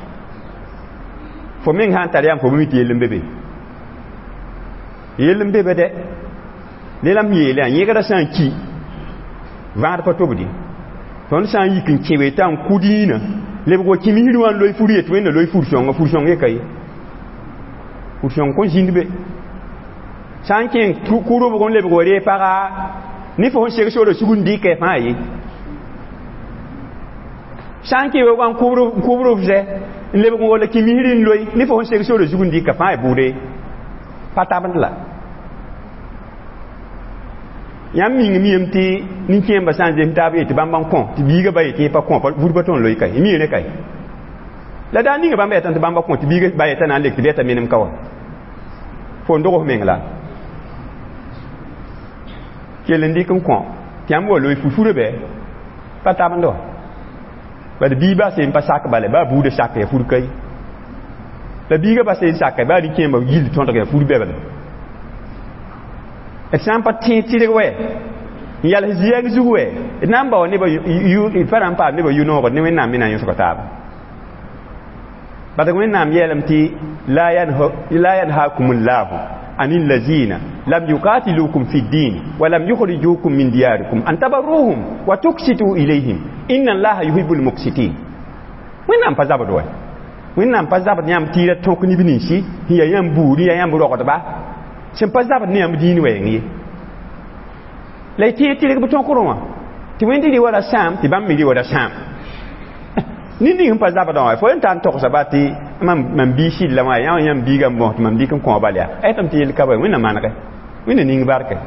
A: fo meng sã n tar yam fo mi tɩ yell n be be yell n be be dɛ ne la m yeele yã yẽgrã sã n ki vãad pa tobdi tõnd sã n yik n kẽ t'a n kʋ dĩinã lebg wa kĩmisri wã n loe fur yet wẽnna loe fur-sõnga fur-sõng ye ka ye fur-sõng kõn zĩnd be sã n kẽng kʋ-rʋbg n lebg wa ree paga ne fo sẽn seg sora sug n dɩkɛ fãa ye sã n kẽ wa n kʋbr f zɛ n lebg n wala kĩmisri n loe ne fo sẽn seg sora zug n dɩka fãa y bʋʋde pa tabend la yãmb mingame yem tɩ nin-kẽembã sã n zems taab yetɩ bãmb n kõ tɩ biigã ba yetɩ yẽ pa kõ vur pa tõnd loe ka ye mi rẽ ka ye la daa ninga bãmb yetã tɩ bãmba kõ tɩ biigã ba yetã na n lek tɩ b yeta menem ka wa fo n dog f meng la kell n dɩk n kõ tɩ yãmb wa loe furfurã bɛ pa tabend wa bad bii ba sẽn pa sak bala baa buudã sak ya fur ka ye la biigã ba sẽn saka baa nin-kẽembã gill tõdg ya fur bɛbla d sã n pa tẽ tɩrg wɛ n yals zɩɛg zug wɛ d na n bao nebã pa na n paam nebã yʋ-noogd ne wẽnnaam me na n yõsga taaba bat wẽnnaam yeelame tɩ la yanhakum llahu an allazina lam yuqatilukum fi ddin wa lam yukhrijukum min diyarikum an tabarruhum wa tuksitu ilayhim inna allaha yuhibu lmuksitin wẽnnaam pa zabd wɛ wẽnnaam pa zabd yãmb tɩ ra tõk neb ninsi sẽn yaa yãmb buud yaa yãmb rogdba sẽn pa zabd ne yãmb dĩin wɛɛng ye la y tẽeg tɩrg b tõkrẽ wã tɩ wẽnd rɩ wa ra sãam tɩ bãmb me rɩ wa ra sãam ned ning sẽn pa zabdã wã fo n ta n togsa ba tɩ mam bii sɩd la wã yã yãmb biigã n bõs tɩ mam dɩk n kõ bal yaa a yetame tɩ yel ka ba wẽnna manegɛ wẽnna ning barkɛ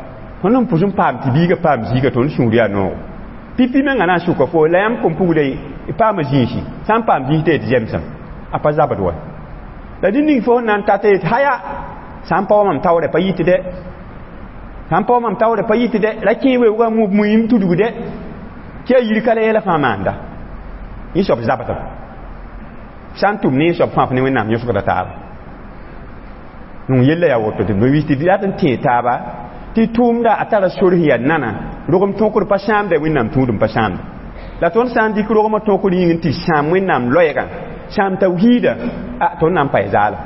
A: tõnd n pʋs n paam tɩ biigã paam ziiga tõnd sũur yaa noogo pipi mengã na n sʋka fo la yãmb kom pugla paama zĩisi sã n paam zĩis tɩ yetɩ zemsem a pa zabd wa la ned ning fo sẽn na n tata yetɩ haya sã n pa wa mam taoorã pa yit dɛ sã n pa wa mam taoorã pa yit dɛ ra kẽ weoogã muim tudg dɛ tɩ a yir ka la yɛla fãa maanda yẽ soab zabdem sã n tʋm ne yẽ soab fãa f ne wẽnnaam yõsgda taaba nung yella yaa woto tɩ b wis tɩ rat n tẽe taaba tɩ tʋʋmda a tara sor sẽn yaa nana rogem tõkr pa sãamda wẽnnaam tũudem pa sãamda la tõnd sã n dɩk rogmã tõkr yĩng n tɩ sãam wẽnnaam loɛɛgã sãam tawhiida a tõnd na n pa zaala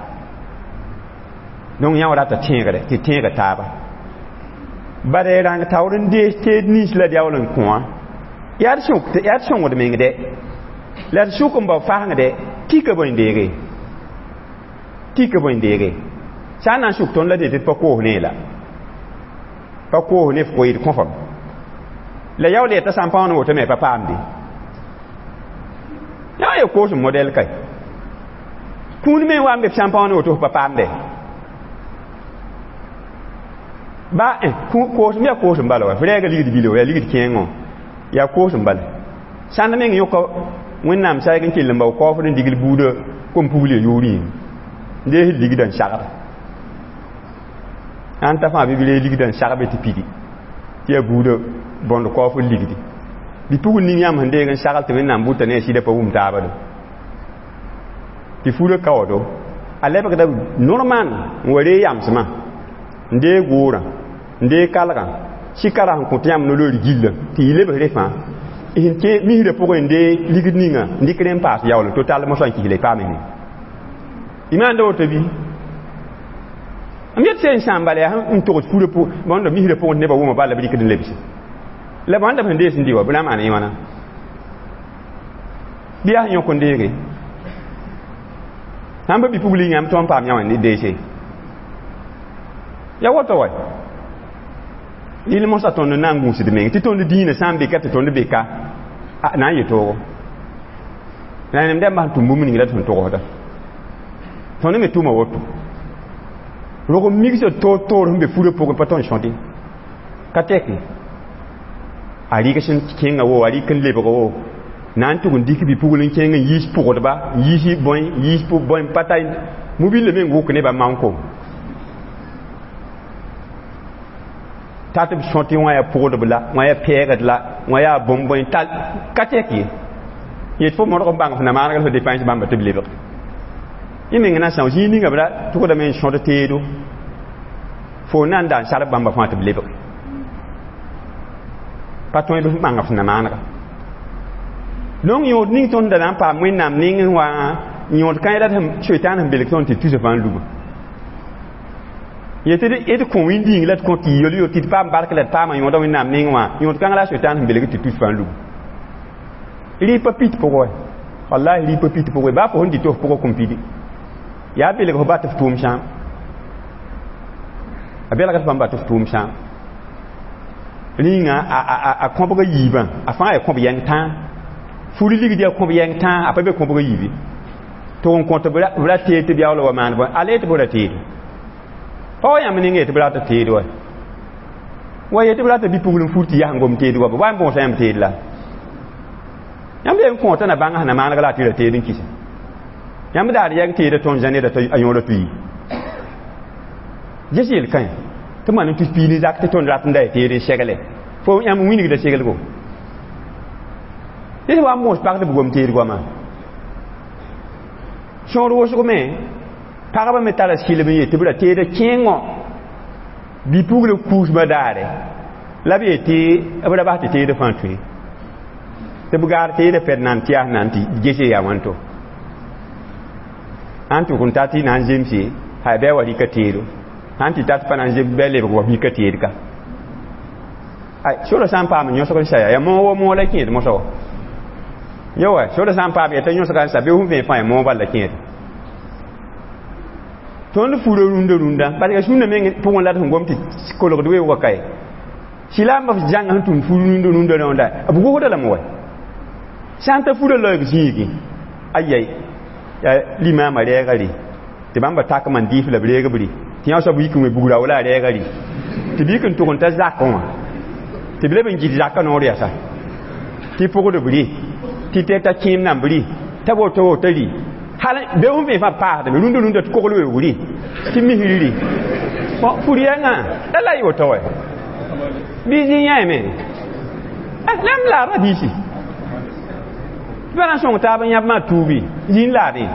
A: donc yã wa rata tẽegre tɩ tẽega taaba bad rãng taoor n dees teed nins la d yaool n kõ wã yaa d sõngd meng dɛ la d sʋk n bao fasẽngdɛ tika bõe n deege tika bõe n deege sã n na n sʋk tõnd la d yetɩ d pa koos ne la pa koos ne f koeed kõ fam la yaool yetã sã n pa wãn woto me pa paamde yã ya koos n modɛl kae kũun me wa n be f sã n pa wãn woto f pa paamde ba koosem yaa koosem bala wa f rɛɛga ligd bilo yaa ligd kẽengõ yaa koosem bala sãnd meng yõka wẽnnaam saɛg n kell n bao kaoofd n digl buudã kom-pugl ya yʋʋr yĩng n dees ligdã n sagda ãn ta fãa bɩ b ree ligdã n sagbe tɩ pidi tɩ yaa buudã bõnd kaoofd ligdi bɩ pugl ning yãmb sẽn deeg n sagl tɩ wẽnnaam bʋta ne a sɩda pa wum taaba do tɩ furã kaoodo a lebgda normal n wa ree yamsmã n deeg goorã n deeg kalgã sɩ kara sẽn kõt yãmb no-loeer gillã tɩ yɩ lebs re fãa n misrã pʋgẽ n dee ligd ninga n dɩk rẽ n paas yaool to tall mosã n kis la y paam ne y maanda woto bɩ m yet sẽn sãam bala yaa n togs furã bõnd misrã pʋgẽ tɩ nebã wʋma bala b rɩkd n lebse la bõnda b sẽn dees n dɩ wa b na n maan yẽ wãna bɩ yaa sẽn yõk n deege sãn pa bi-pugl yãmb tõnd paam yã wã ne deese ya woto wa rɩl mosã tõnd n na n gũusd meng tɩ tõnd dĩinã sã n beka tɩ tõnd beka na n yet toogo la nem dãmbã sẽn tʋm bũmb ning la d sẽn togsda tõnd me tʋma woto rog n migsd toor-toor sẽn be furã pʋgẽ pa tõnd sõte ka tɛke a rɩg sẽn kẽnga wo a rɩk n lebg wo na n tʋg n dɩk bi-pugl n kẽng n yiis pʋgdba n yiis bõe n yiis bõe pa ta mobile meng wʋk nebã manko ta tɩ b sõtɩ wã yaa pʋgdb la wã yaa pɛɛgd la wã yaa bõn-bõe tal ka tɛk ye yet fo modg n bãng f na maaneg la f depãs bãmba tɩ b lebg yẽ meng na n são zĩig ninga b ra tʋgdame n sõd teedo fo na n da n sarb bãmba fãa tɩ b lebg pa tõe b bãng f na maanega donc yõod ning tõnd da na n paam wẽnnaam nengẽ wã yõod kãe la soitaan sẽn belg tõnd tɩ tusa fãa n luba yetɩ d kõ wĩndĩing la d kõ tɩ yel yo tɩ d paam bark la d paama yõoda wẽnnaam nengẽ wã yõod kãng la soitaan sẽn belg tɩ tus fãa n luba rɩ pa pit pʋgẽ wallahi rɩ pa pit pʋgẽ baa fo sẽn dɩ tɩ f pʋgã kõn pidi yaa belg f ba tɩ f tʋʋm sãam a belgd bãmba tɩ f tʋʋm sãam rĩnga a kõbga yiibã a fãa yaa kõb yɛng tãa furi ligd yaa kõb yɛng tãa a pa be kõbga yiibi tɩ n kõ tɩ b ra teed tɩ b yaool wa maan bõe a le tɩ b ra teedo pa wa yãmb ning tɩ b rata teed wa wa ye tɩ b rata bi-pugl n fur tɩ yaa n gom teed wa b wa n bõosa yãmb teed la yãmb yen kõota na bãng sẽn na maaneg la a tɩ ra teed n kisa yãmb daar yɛng teeda tõnd zã neda a yõoda tʋ yi ges yel-kãe tɩ maan n tus piig ne zak tɩ tõnd rat n da ya teed n segle fo yãmb wĩnigda seglgo dɩs wa n moos pag tɩ b gom teed goama sõor wʋsg me pagba me tara sɩlem n yet tɩ b ra teeda kẽengõ bi-pugl kuusmã daare la b yetɩ b ra bas tɩ teeda fãa tũe tɩ b gaar teeda pɛd nan tɩ yaa sẽn na n tɩ gese yaa wãnto sãn tʋk n ta tɩ na n zemse hay bɩ a wa rɩka teedo sãn tɩ tat pa na n zems bɩ a lebg wa bika teed ka ay sora sã n paam n yõsg n saya yaa moog wa moog la kẽed mosã wa yo wa sora sã n paam yaa t'a yõsga n sa bɩ fõn vẽe fãa yaa moog bal la kẽed tõnd fura rũndã rũndã parce que sũnã meng pʋgẽ la d sẽn gom tɩ kolgd weoogã kae sɩlaambã f zãnga sẽn tũud fur rũndã rũndã rõnda b gosda lame wa sã n ta furã laoog zĩigi ayai yaa limaamã rɛɛga rɩ tɩ bãmba takmã n dɩɩf la b reeg b rɩ tɩ yã soab yik n wẽ bugra wala a rɛɛga rɩ tɩ b yik n tʋg n ta zakẽ wã tɩ b leb n gɩd zakã noor yasa tɩ pʋgd b rɩ tɩ tɛ ta kẽem namb rɩ t'a woto woto rɩ hal be sẽn vẽ fãa paasdame rũndã rũndã tɩ kogl weoog rɩ tɩ misri rɩ bõn fur yɛngã la la y woto wa bɩ zĩ yãeme la m laada biisi tɩ pa na n sõng taab n yãb maa tuubi zĩ n laadẽ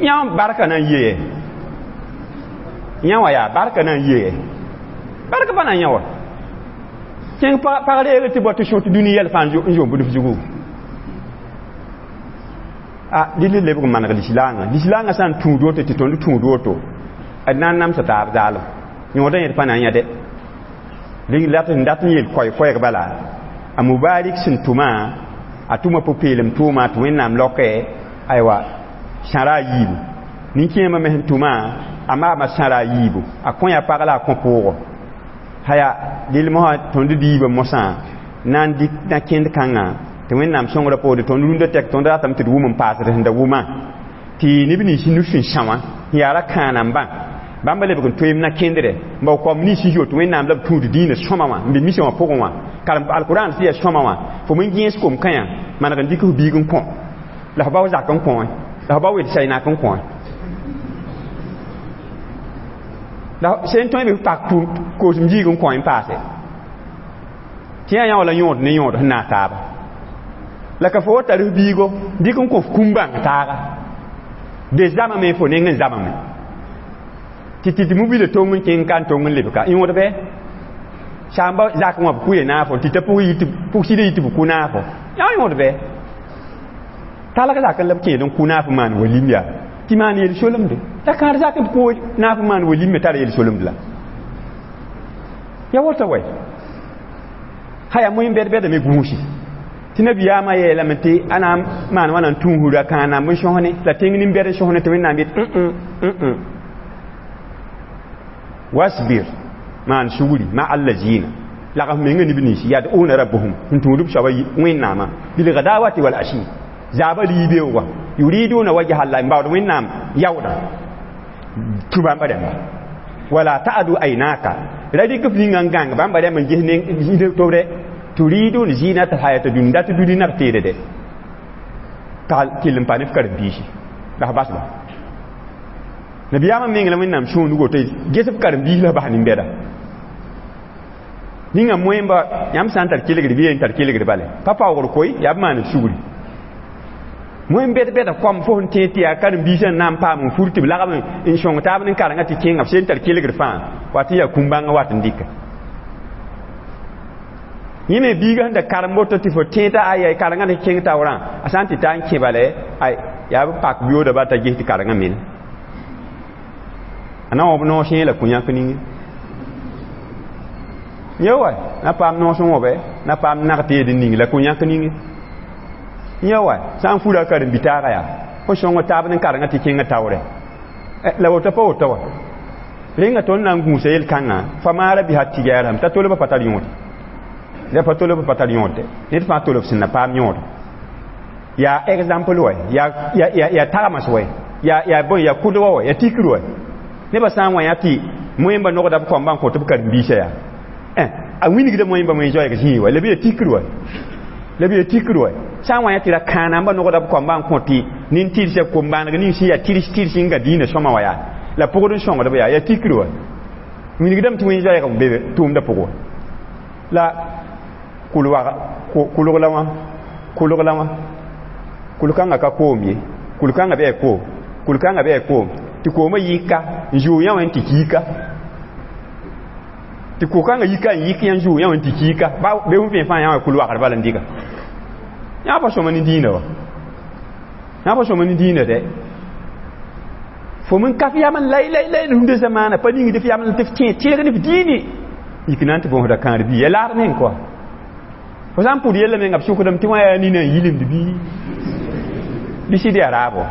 A: yã barka na n yee yã wã yaa barka na n yee barka pa na n yã wa kẽng pag reeg tɩ bao tɩ sõ tɩ dũni yɛl fãa n zoom bũmb zugu a dɩl lebg n maneg lislaangã lislaangã sã n tũud woto tɩ tõnd tũud woto d na n namsa taab zaalem yõodã yẽd pa na n yã dɛ dat n yeel koɛɛ-koɛɛg bala a mubarik sẽn tʋmã a tʋma pʋ-peelem tʋʋma tɩ wẽnnaam laokɛ aywa sãra a yiibu nin-kẽemã me sẽn tʋmã a maama sãra a yiibu a kõ ya pag la a kõ pʋʋgɔ haya dɩl mosã tõnd diibã mosã na n dɩk na kẽnd kãngã tɩ wẽnnaam sõngrã poore tõnd rũndã tɛk tõnd ratame tɩ d wʋm n paasd sẽn da wʋmã tɩ neb nins nus sẽn sã wã sẽn yaa ra kãanambã bãmba lebg n toeem na kẽndrɛ n bao kaoom nins sẽn zoot wẽnnaam la b tũud dĩinã sõma wã n be misã wã pʋgẽ wã karem alkurãan tɩ yaa sõma wã fo me gẽes kom-kãyã maneg n dɩk f biig n kõ la f bao zak n kõ la f bao wed saɩnak n kõ la sẽn tõe b pak koosem ziig n kõ n paase tɩ yaa yã wala yõod ne yõod sẽn naas taaba la ka fo wa tar f biigo dɩk n kõ f kũm bãng taaga de zamame fo neng n zamame tɩ tɩ mobila tong n kẽng ka n tong n lebka yõod bɩ Sãamba zak wã b kʋ ye naafo tɩ t'a pʋg sɩd yɩ tɩ b kʋ naafo. Yã yõod bɛ. Talg zak n la b kẽed n kʋ naaf n maan walim yaa. Tɩ maan yel-solemde. La kãad zak n kʋ naaf n maan walim me tara yel-solemd la. Ya woto wɛ. Haya moẽ bɛd-bɛda me gũusi. Tɩ nabiyaamã yeelame tɩ a na n maan wãna n tũusra kãa-namb n sõsne la tẽng nin-bɛd n sõsne tɩ Wẽnnaam yet wasbir maan sugri ma allazina lagf menga neb nins yad'una rabbahum n tũud b soaba Wẽnnaamã bilghadawati wal ashi zaaba liibeoogã yuriduna wajha Allah n baood Wẽnnaam yaoodã tũ bãmba rãmba wala ta'adu aynaka ra rɩk f ninga n gãng bãmba rãmb n ges ne tobre turidun zinata hayata dunya dat duni na teede de tal till pa ne karen-biisi la bas ba nabiyaamã meng la Wẽnnaam sũunugo tɩ ges f karen-biis la bas nin-bɛda ninga moẽmba yãmb sã n tar kelgr bɩ yen tar kelgr bale pa paoogr koe yaa b maan sugri moẽm bɛd-bɛda koam fo sẽn tẽed tɩ yaa karen-biisã n na n paam n fur tɩ b lagm n sõng taab ne karengã tɩ kẽnga b sẽn tar kelgr fãa wat n yaa kũm-bãngã wat n dɩka yẽ me biiga sẽn da karem woto tɩ fo tẽeda aya karengã ne kẽng taoorã a sã n tɩ ta n kẽ bale ay yaa b pak yooda ba t'a ges tɩ karengã mel a na wãb noos yẽ la kõ-yãk ninge yẽ wa na paam noos n wãbe na paam nag teed n ning la kõ-yãk ninge yẽ wa sã n fura karen-bitaaga yaa fo sõng taab ne karengã tɩ kẽngã taoorɛ la woto pa woto wa rẽnga tõnd na n gũusa yel-kãngã fa maara bisa tɩ t'a tolbã pa tar yõode la pa tolb pa tar yõode ned fãa tolb sẽn na paam yõod yaa exemple wɛ yaa tagms wɛ yaa bõe yaa kʋdgã wɛ yaa tikr wɛ nebã sã n wã yã tɩ moẽmba nogda b kõmba n kõt b karen-biisã yaa a wilgda moẽmba moẽ zoɛɛg zĩig wɛ la bɩ yaa tikr wɛ la bɩ yaa tikr wɛ sã n wã yã tɩ ra kãanamba nogda b kõmba n kõt tɩ nin-tɩrsa kom-bãaneg ning sẽn yaa tɩrs tɩrs n ga dĩinã sõma wã yaa la pʋgd n sõngdb yaa yaa tikr wɛ wilgdame tɩ wẽn zoɛɛg n be tʋʋmdã pʋgẽ wã la kulg la wã kulg la wã kul-kãngã ka koom ye kul-kãngã bɩ koom kul-kãngã bɩ koom tɩ koomã yika n zʋʋ yã wã n tɩ kiika tɩ ko-kãngã yika n yik yã n zʋʋ yã wã n tɩ kiika be fõ fẽe fãa yã wã kul-wagr bala n dɩka yã pa sõma ne dĩinã wa yã pa sõma ne dĩinã dɛ fo min ka f yam n lay lay lay rũndã zamaana pa ningd f yam tɩ f tẽ tẽeg ne f dĩine yik na n tɩ bõosda kãar bii ya laad meng kɔa fo sã n pʋd yella menga b sʋkdame tɩ wã yaa nina n yilimd bɩ sɩd yaa raabo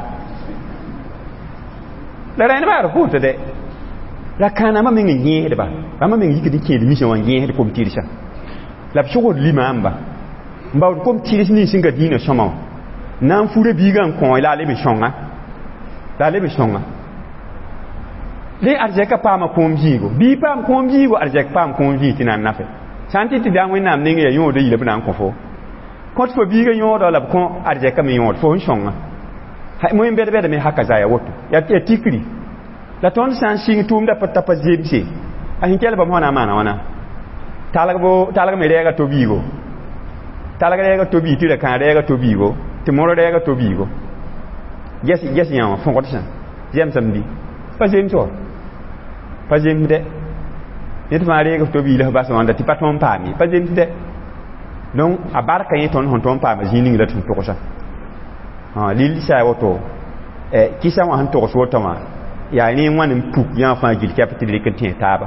A: la rẽndbã yaa d pʋʋta dɛ la kãanamã meng n yẽesdba bãmba meng yikd n kẽed misã wã n yẽesd kom-tɩrsa la b sʋgd limaamba n baood kom-tɩrs nins sẽn ga dĩinã sõma wã na n fura biigã n kõ la a leb n sõnga la a leb n sõnga dẽ arzɛka paama kõom zĩigo bii paam kõom zĩigo arzɛk paam kõom zĩig tɩ na n nafe sã n tɩ tɩ daa Wẽnnaam neng yaa yõoda yila b na n kõ fo kõt fo biigã yõoda la b kõ arzɛka me yõod fo n sõnga moẽ bɛd-bɛda me haka zaya woto yaa tikri la tõnd sã n sɩng tʋʋmda pa ta pa zemse a sẽn kell bãmb fõ na n maana wãna talg me rɛɛga to-biigo talg rɛɛga to-biig tɩ ra kãag rɛɛga to-biigo tɩ mor rɛɛga to-biigo ges yã wã fõgdsã zemsame bɩ pa zems wa pa zems dɛ ned fãa reeg f to-biig la f bas wãnda tɩ pa tõnd paam ye pa zems dɛ donc a barka yẽ tõnd sẽn tõnd paama zĩig ning la tɩ sẽn togsa lil sã ya woto kɩsa wã sẽn togs woto wã yaa ne wãn n puk yã fãa gil kɛp tɩ d rɩk n tẽ taaba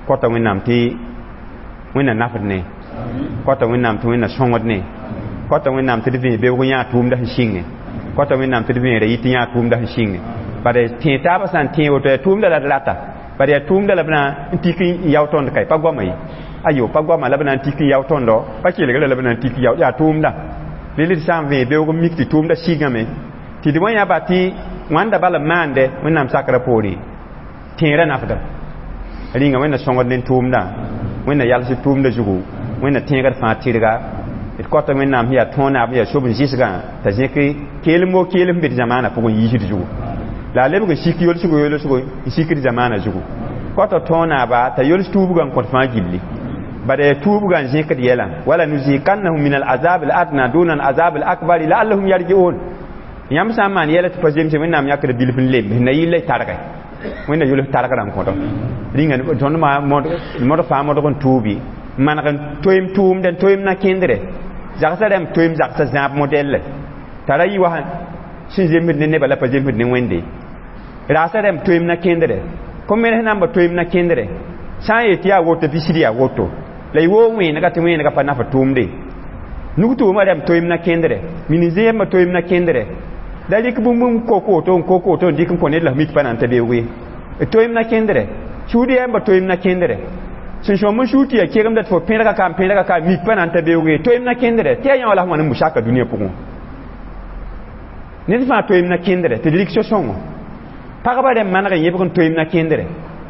A: kõta Wẽnnaam tɩ Wẽnna nafd ne kõta Wẽnnaam tɩ Wẽnna sõngd ne kõta Wẽnnaam tɩ d vẽ beoog yã tʋʋmda sẽn sɩnge kõta Wẽnnaam tɩ d vẽera yɩ tɩ yã tʋʋmda sẽn sɩnge bala tẽ taaba sã n tẽ woto yaa tʋʋmda la d rata bala yaa tʋʋmda la b na n tik n yao tõnd ka pa goama ye ayo pa goama la b na n tik n yao tõndo pa kelgra la b na n tik yao yaa tʋʋmda lel d sã n vẽ beoog n mik tɩ tʋʋmda sɩngame tɩ d wã yãba tɩ wãnda bala n maande Wẽnnaam sakrã poore tẽerã nafda rĩnga Wẽnna sõngd ne tʋʋmdã Wẽnna yals tʋʋmda zugu Wẽnna tẽegd fãa tɩrga d kõta Wẽnnaam sẽn yaa tõonaab yaa sob n zɩsgã t'a zẽk keelem wo keelem sẽn be d zamaanã pʋgẽ yiisd zugu la a lebg n sik yolsgo yolsgo n sikd zamaanã zugu kõta tõonaaba t'a yols tuubgã n kõt fãa gilli bala yaa tuubgã n zẽkd yɛla wala nuziqannahum min alazab aladna duna alazab alakbari la'allahum yarji'un yãmb sã n maan yɛla tɩ pa zemse Wẽnnaam yãkd bilf n lemb sẽn na yɩl la y targe Wẽnna yols targrã n kõdo rĩnga tõnd modg fãa modg n tuubi maneg n toeem tʋʋmdɛ n toeem na kẽndre zagsã rãmb toeem zagsã zãab modɛlle t'a ra yɩ wa sẽn zemsd ne nebã la pa zemsd ne Wẽnde raasã rãmb toeem na kẽndre kom-menes namba toeem na kẽndre sã n yet tɩ yaa woto bɩ sɩd yaa woto la y woog wẽenega tɩ wẽenega pa naf tʋʋmde nug-tʋʋmã rãmb toeem na kẽndre min-zẽebmã toeem na kẽndre la rɩk bũmb n kok woto n kok woto n dɩk n kõ ned la f mik pa na n ta beoog ye d toeem na kẽndre sũud yɛɛmbã toeem na kẽndre sẽn sõm n sũur tɩ yaa kegemda tɩ fo pẽrga ka n pẽrga ka mik pa na n ta beoog ye toeem na kẽndre tɩ yaa yã wala f wãn n bu-saka dũniyã pʋgẽ ned fãa toeem na kẽndre tɩ d rɩk so-sõngo pagba rẽmb maneg n yẽbg n toeem na kẽndre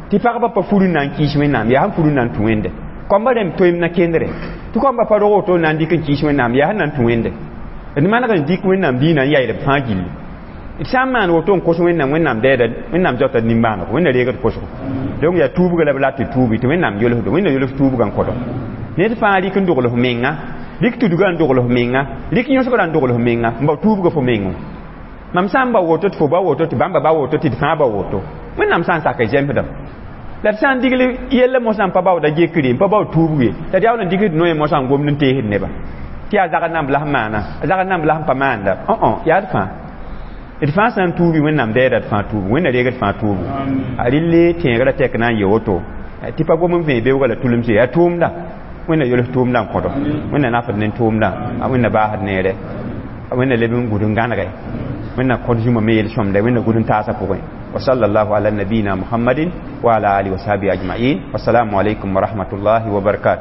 A: tɩ pagba pa fur n na n kɩɩs Wẽnnaam yaa sẽn fur n na n tũ Wẽnde kõmba rẽmb toeem na kẽndre tɩ kõmba pa rog woto n na n dɩk n kɩɩs Wẽnnaam yaa sẽn na n tũ Wẽnde d maneg n dɩk Wẽnnaam diinã n yaɩd b fãa gilli d sã n maan woto n kos Wẽnnaam Wẽnnaam dɛɛda Wẽnnaam zaota d nimbãanego Wẽnna reegd kosgo donc yaa tuubga la b rat tɩ tuubi tɩ Wẽnnaam yolsdo Wẽnna yols tuubgã n kõdo ned fãa rɩk n dogl f menga rɩk tudgã n dogl f menga rɩk yõsgrã n dogl f menga n bao tuubga fo mengẽ mam sã n ba woto tɩ fo ba woto tɩ bãmba ba woto tɩ d fãa ba woto Wẽnnaam sã n sak zemsdame la d sã n digl yella mosã n pa baooda gekre n pa bao tuubg ye la d yaool n dɩgd noe mosã n gomd n teesd neba tɩ yaa zagd namb la sẽn maana a zagd namb la sẽn pa maanda yaa d fãa d fãa sã n tuubi Wẽnnaam dɛɛda d fãa tuubg Wẽnna reegd fãa tuubg a rɩlle tẽegrã tɛk na n yɩ woto tɩ pa gom n vẽe beoogã la tulemse yaa tʋʋmda Wẽnna yols tʋʋmdã n kõdo Wẽnna nafd ne tʋʋmdã a Wẽnna baasd neere Wẽnna leb n gũd n gãnege Wẽnna kõd zũma me yel-sõmda Wẽnna gũd n taasã pʋgẽ wa sallallahu ala nabiyina Muhammadin wa ala alihi wa sahbihi ajma'in wassalamu alaikum wa rahmatullahi wa barakatuh.